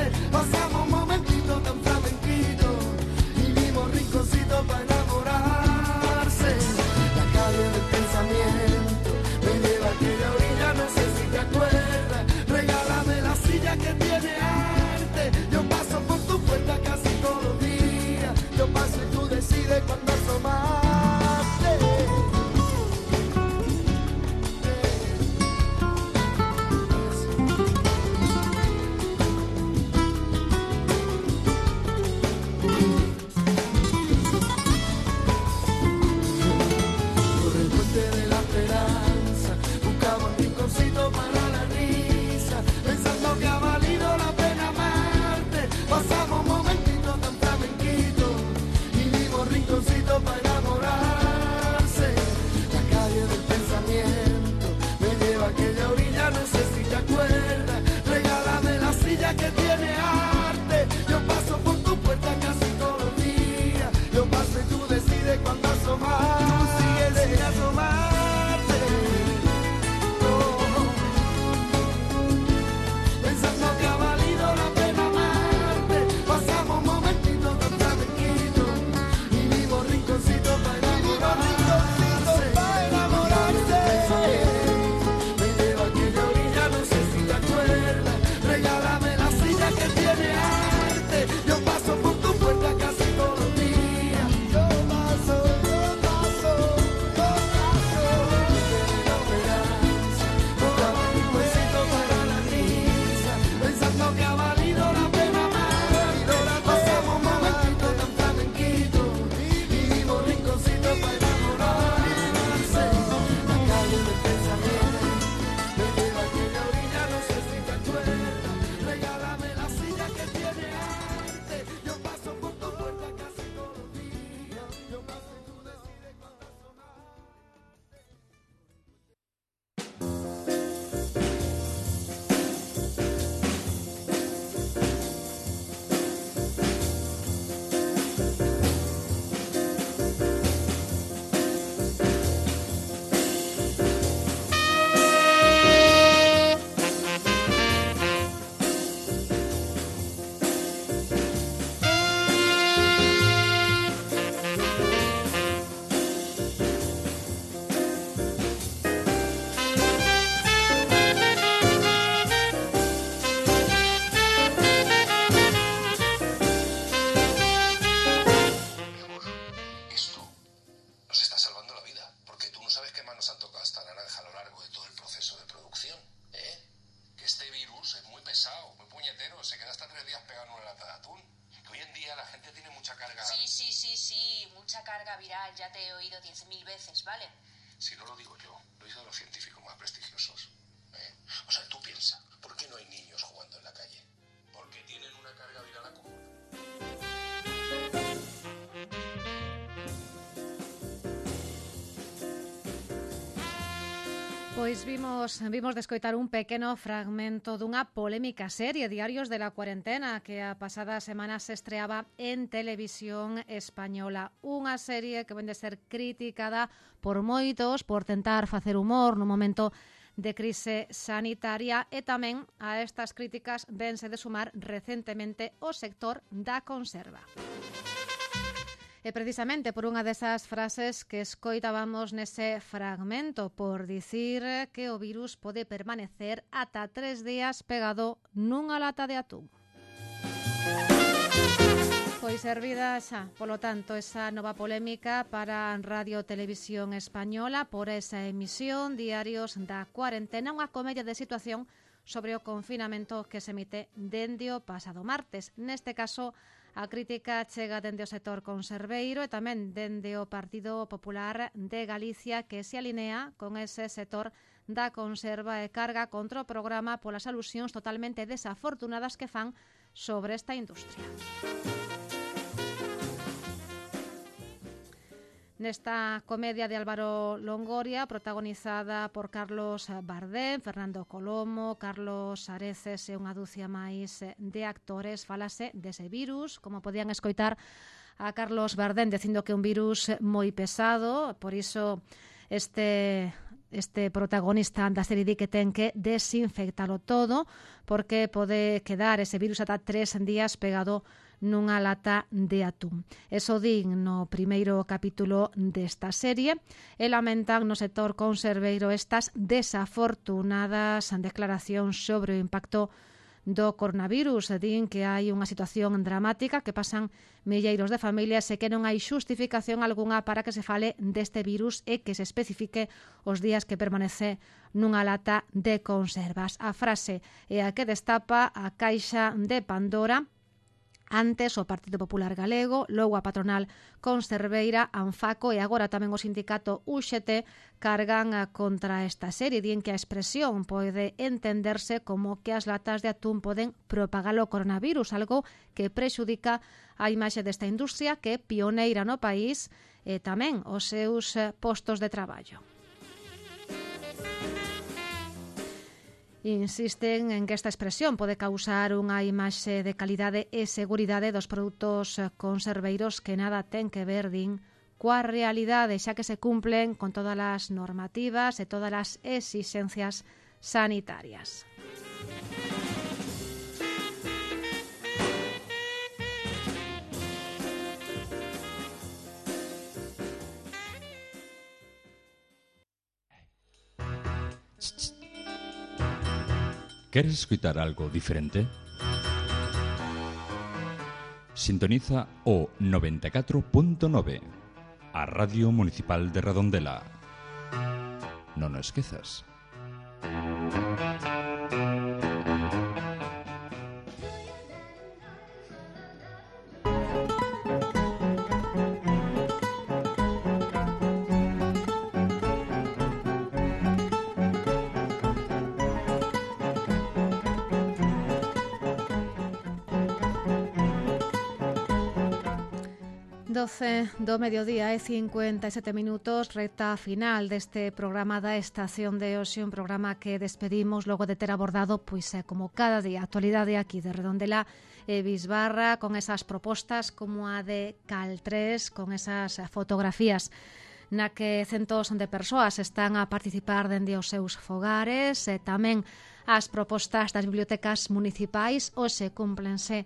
días pegado en una lata de atún. Que hoy en día la gente tiene mucha carga... Sí, sí, sí, sí, mucha carga viral, ya te he oído diez mil veces, ¿vale? Si no lo digo yo, lo dicen los científicos más prestigiosos. ¿eh? O sea, tú piensa, ¿por qué no hay niños jugando en la calle? Porque tienen una carga viral acumulada. Pois vimos, vimos de escoitar un pequeno fragmento dunha polémica serie Diarios de la Cuarentena que a pasada semana se estreaba en Televisión Española. Unha serie que vende a ser criticada por moitos por tentar facer humor no momento de crise sanitaria e tamén a estas críticas vense de sumar recentemente o sector da conserva. E precisamente por unha desas frases que escoitábamos nese fragmento, por dicir que o virus pode permanecer ata tres días pegado nunha lata de atún. Pois servida xa, polo tanto, esa nova polémica para Radio Televisión Española por esa emisión Diarios da Cuarentena, unha comedia de situación sobre o confinamento que se emite dende o pasado martes. Neste caso, a crítica chega dende o sector conserveiro e tamén dende o Partido Popular de Galicia, que se alinea con ese sector da conserva e carga contra o programa polas alusións totalmente desafortunadas que fan sobre esta industria. Nesta comedia de Álvaro Longoria, protagonizada por Carlos Bardem, Fernando Colomo, Carlos Areces e unha dúcia máis de actores, falase dese virus, como podían escoitar a Carlos Bardem dicindo que é un virus moi pesado, por iso este... este protagonista da serie di que ten que desinfectalo todo porque pode quedar ese virus ata tres días pegado nunha lata de atún. Eso din no primeiro capítulo desta serie e lamentan no sector conserveiro estas desafortunadas declaracións sobre o impacto do coronavirus. Din que hai unha situación dramática, que pasan milleiros de familias e que non hai xustificación algunha para que se fale deste virus e que se especifique os días que permanece nunha lata de conservas. A frase é a que destapa a caixa de Pandora. Antes o Partido Popular Galego, logo a patronal conserveira, Anfaco e agora tamén o sindicato U X T cargan contra esta serie. Dien que a expresión pode entenderse como que as latas de atún poden propagar o coronavirus, algo que prexudica a imaxe desta industria que é pioneira no país e tamén os seus postos de traballo. Insisten en que esta expresión pode causar unha imaxe de calidade e seguridade dos produtos conserveiros que nada ten que ver, din, coa realidade, xa que se cumplen con todas as normativas e todas as exixencias sanitarias. ¿Queres escuchar algo diferente? Sintoniza o noventa e catro punto nove, a Radio Municipal de Redondela. Non o esquezas. doce do mediodía e cincuenta e sete minutos, recta final deste programa da Estación de Hoxe, un programa que despedimos logo de ter abordado, pois é como cada día, a actualidade aquí de Redondela e Bisbarra, con esas propostas como a de Cal tres, con esas fotografías na que centos de persoas están a participar dende os seus fogares, e tamén as propostas das bibliotecas municipais. Hoxe cúmplense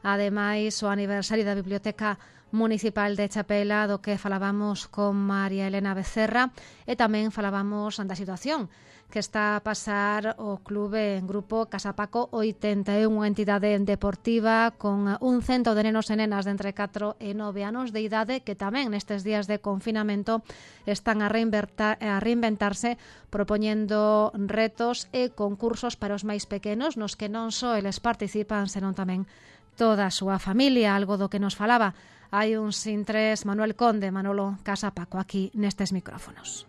Ademais, o aniversario da Biblioteca Municipal de Chapela, do que falábamos con María Elena Becerra, e tamén falábamos da situación que está a pasar o clube en grupo Casapaco oitenta e unha entidade deportiva con un cento de nenos e nenas de entre catro e nove anos de idade que tamén nestes días de confinamento están a, a reinventarse propoñendo retos e concursos para os máis pequenos nos que non só eles participan, senón tamén toda a súa familia, algo do que nos falaba hai un sin tres Manuel Conde, Manolo Casapaco, aquí nestes micrófonos.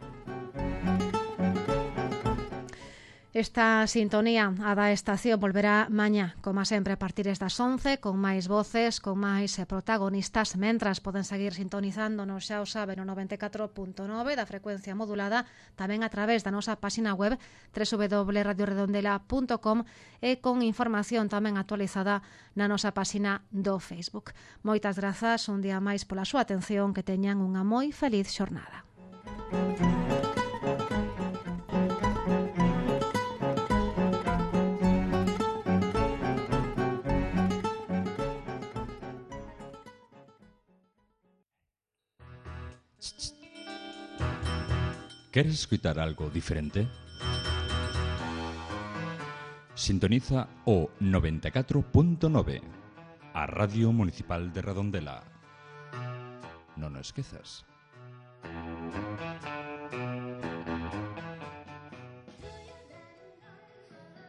Esta sintonía a da estación volverá mañá, como sempre, a partir das once, con máis voces, con máis protagonistas, mentras poden seguir sintonizándonos, xa o saben, no noventa e catro punto nove da frecuencia modulada, tamén a través da nosa página web doble u doble u doble u punto radio redondela punto com e con información tamén actualizada na nosa página do Facebook. Moitas grazas un día máis pola súa atención, que teñan unha moi feliz xornada. ¿Queres escuchar algo diferente? Sintoniza o noventa e catro punto nove, a Radio Municipal de Redondela. Non o esquezas.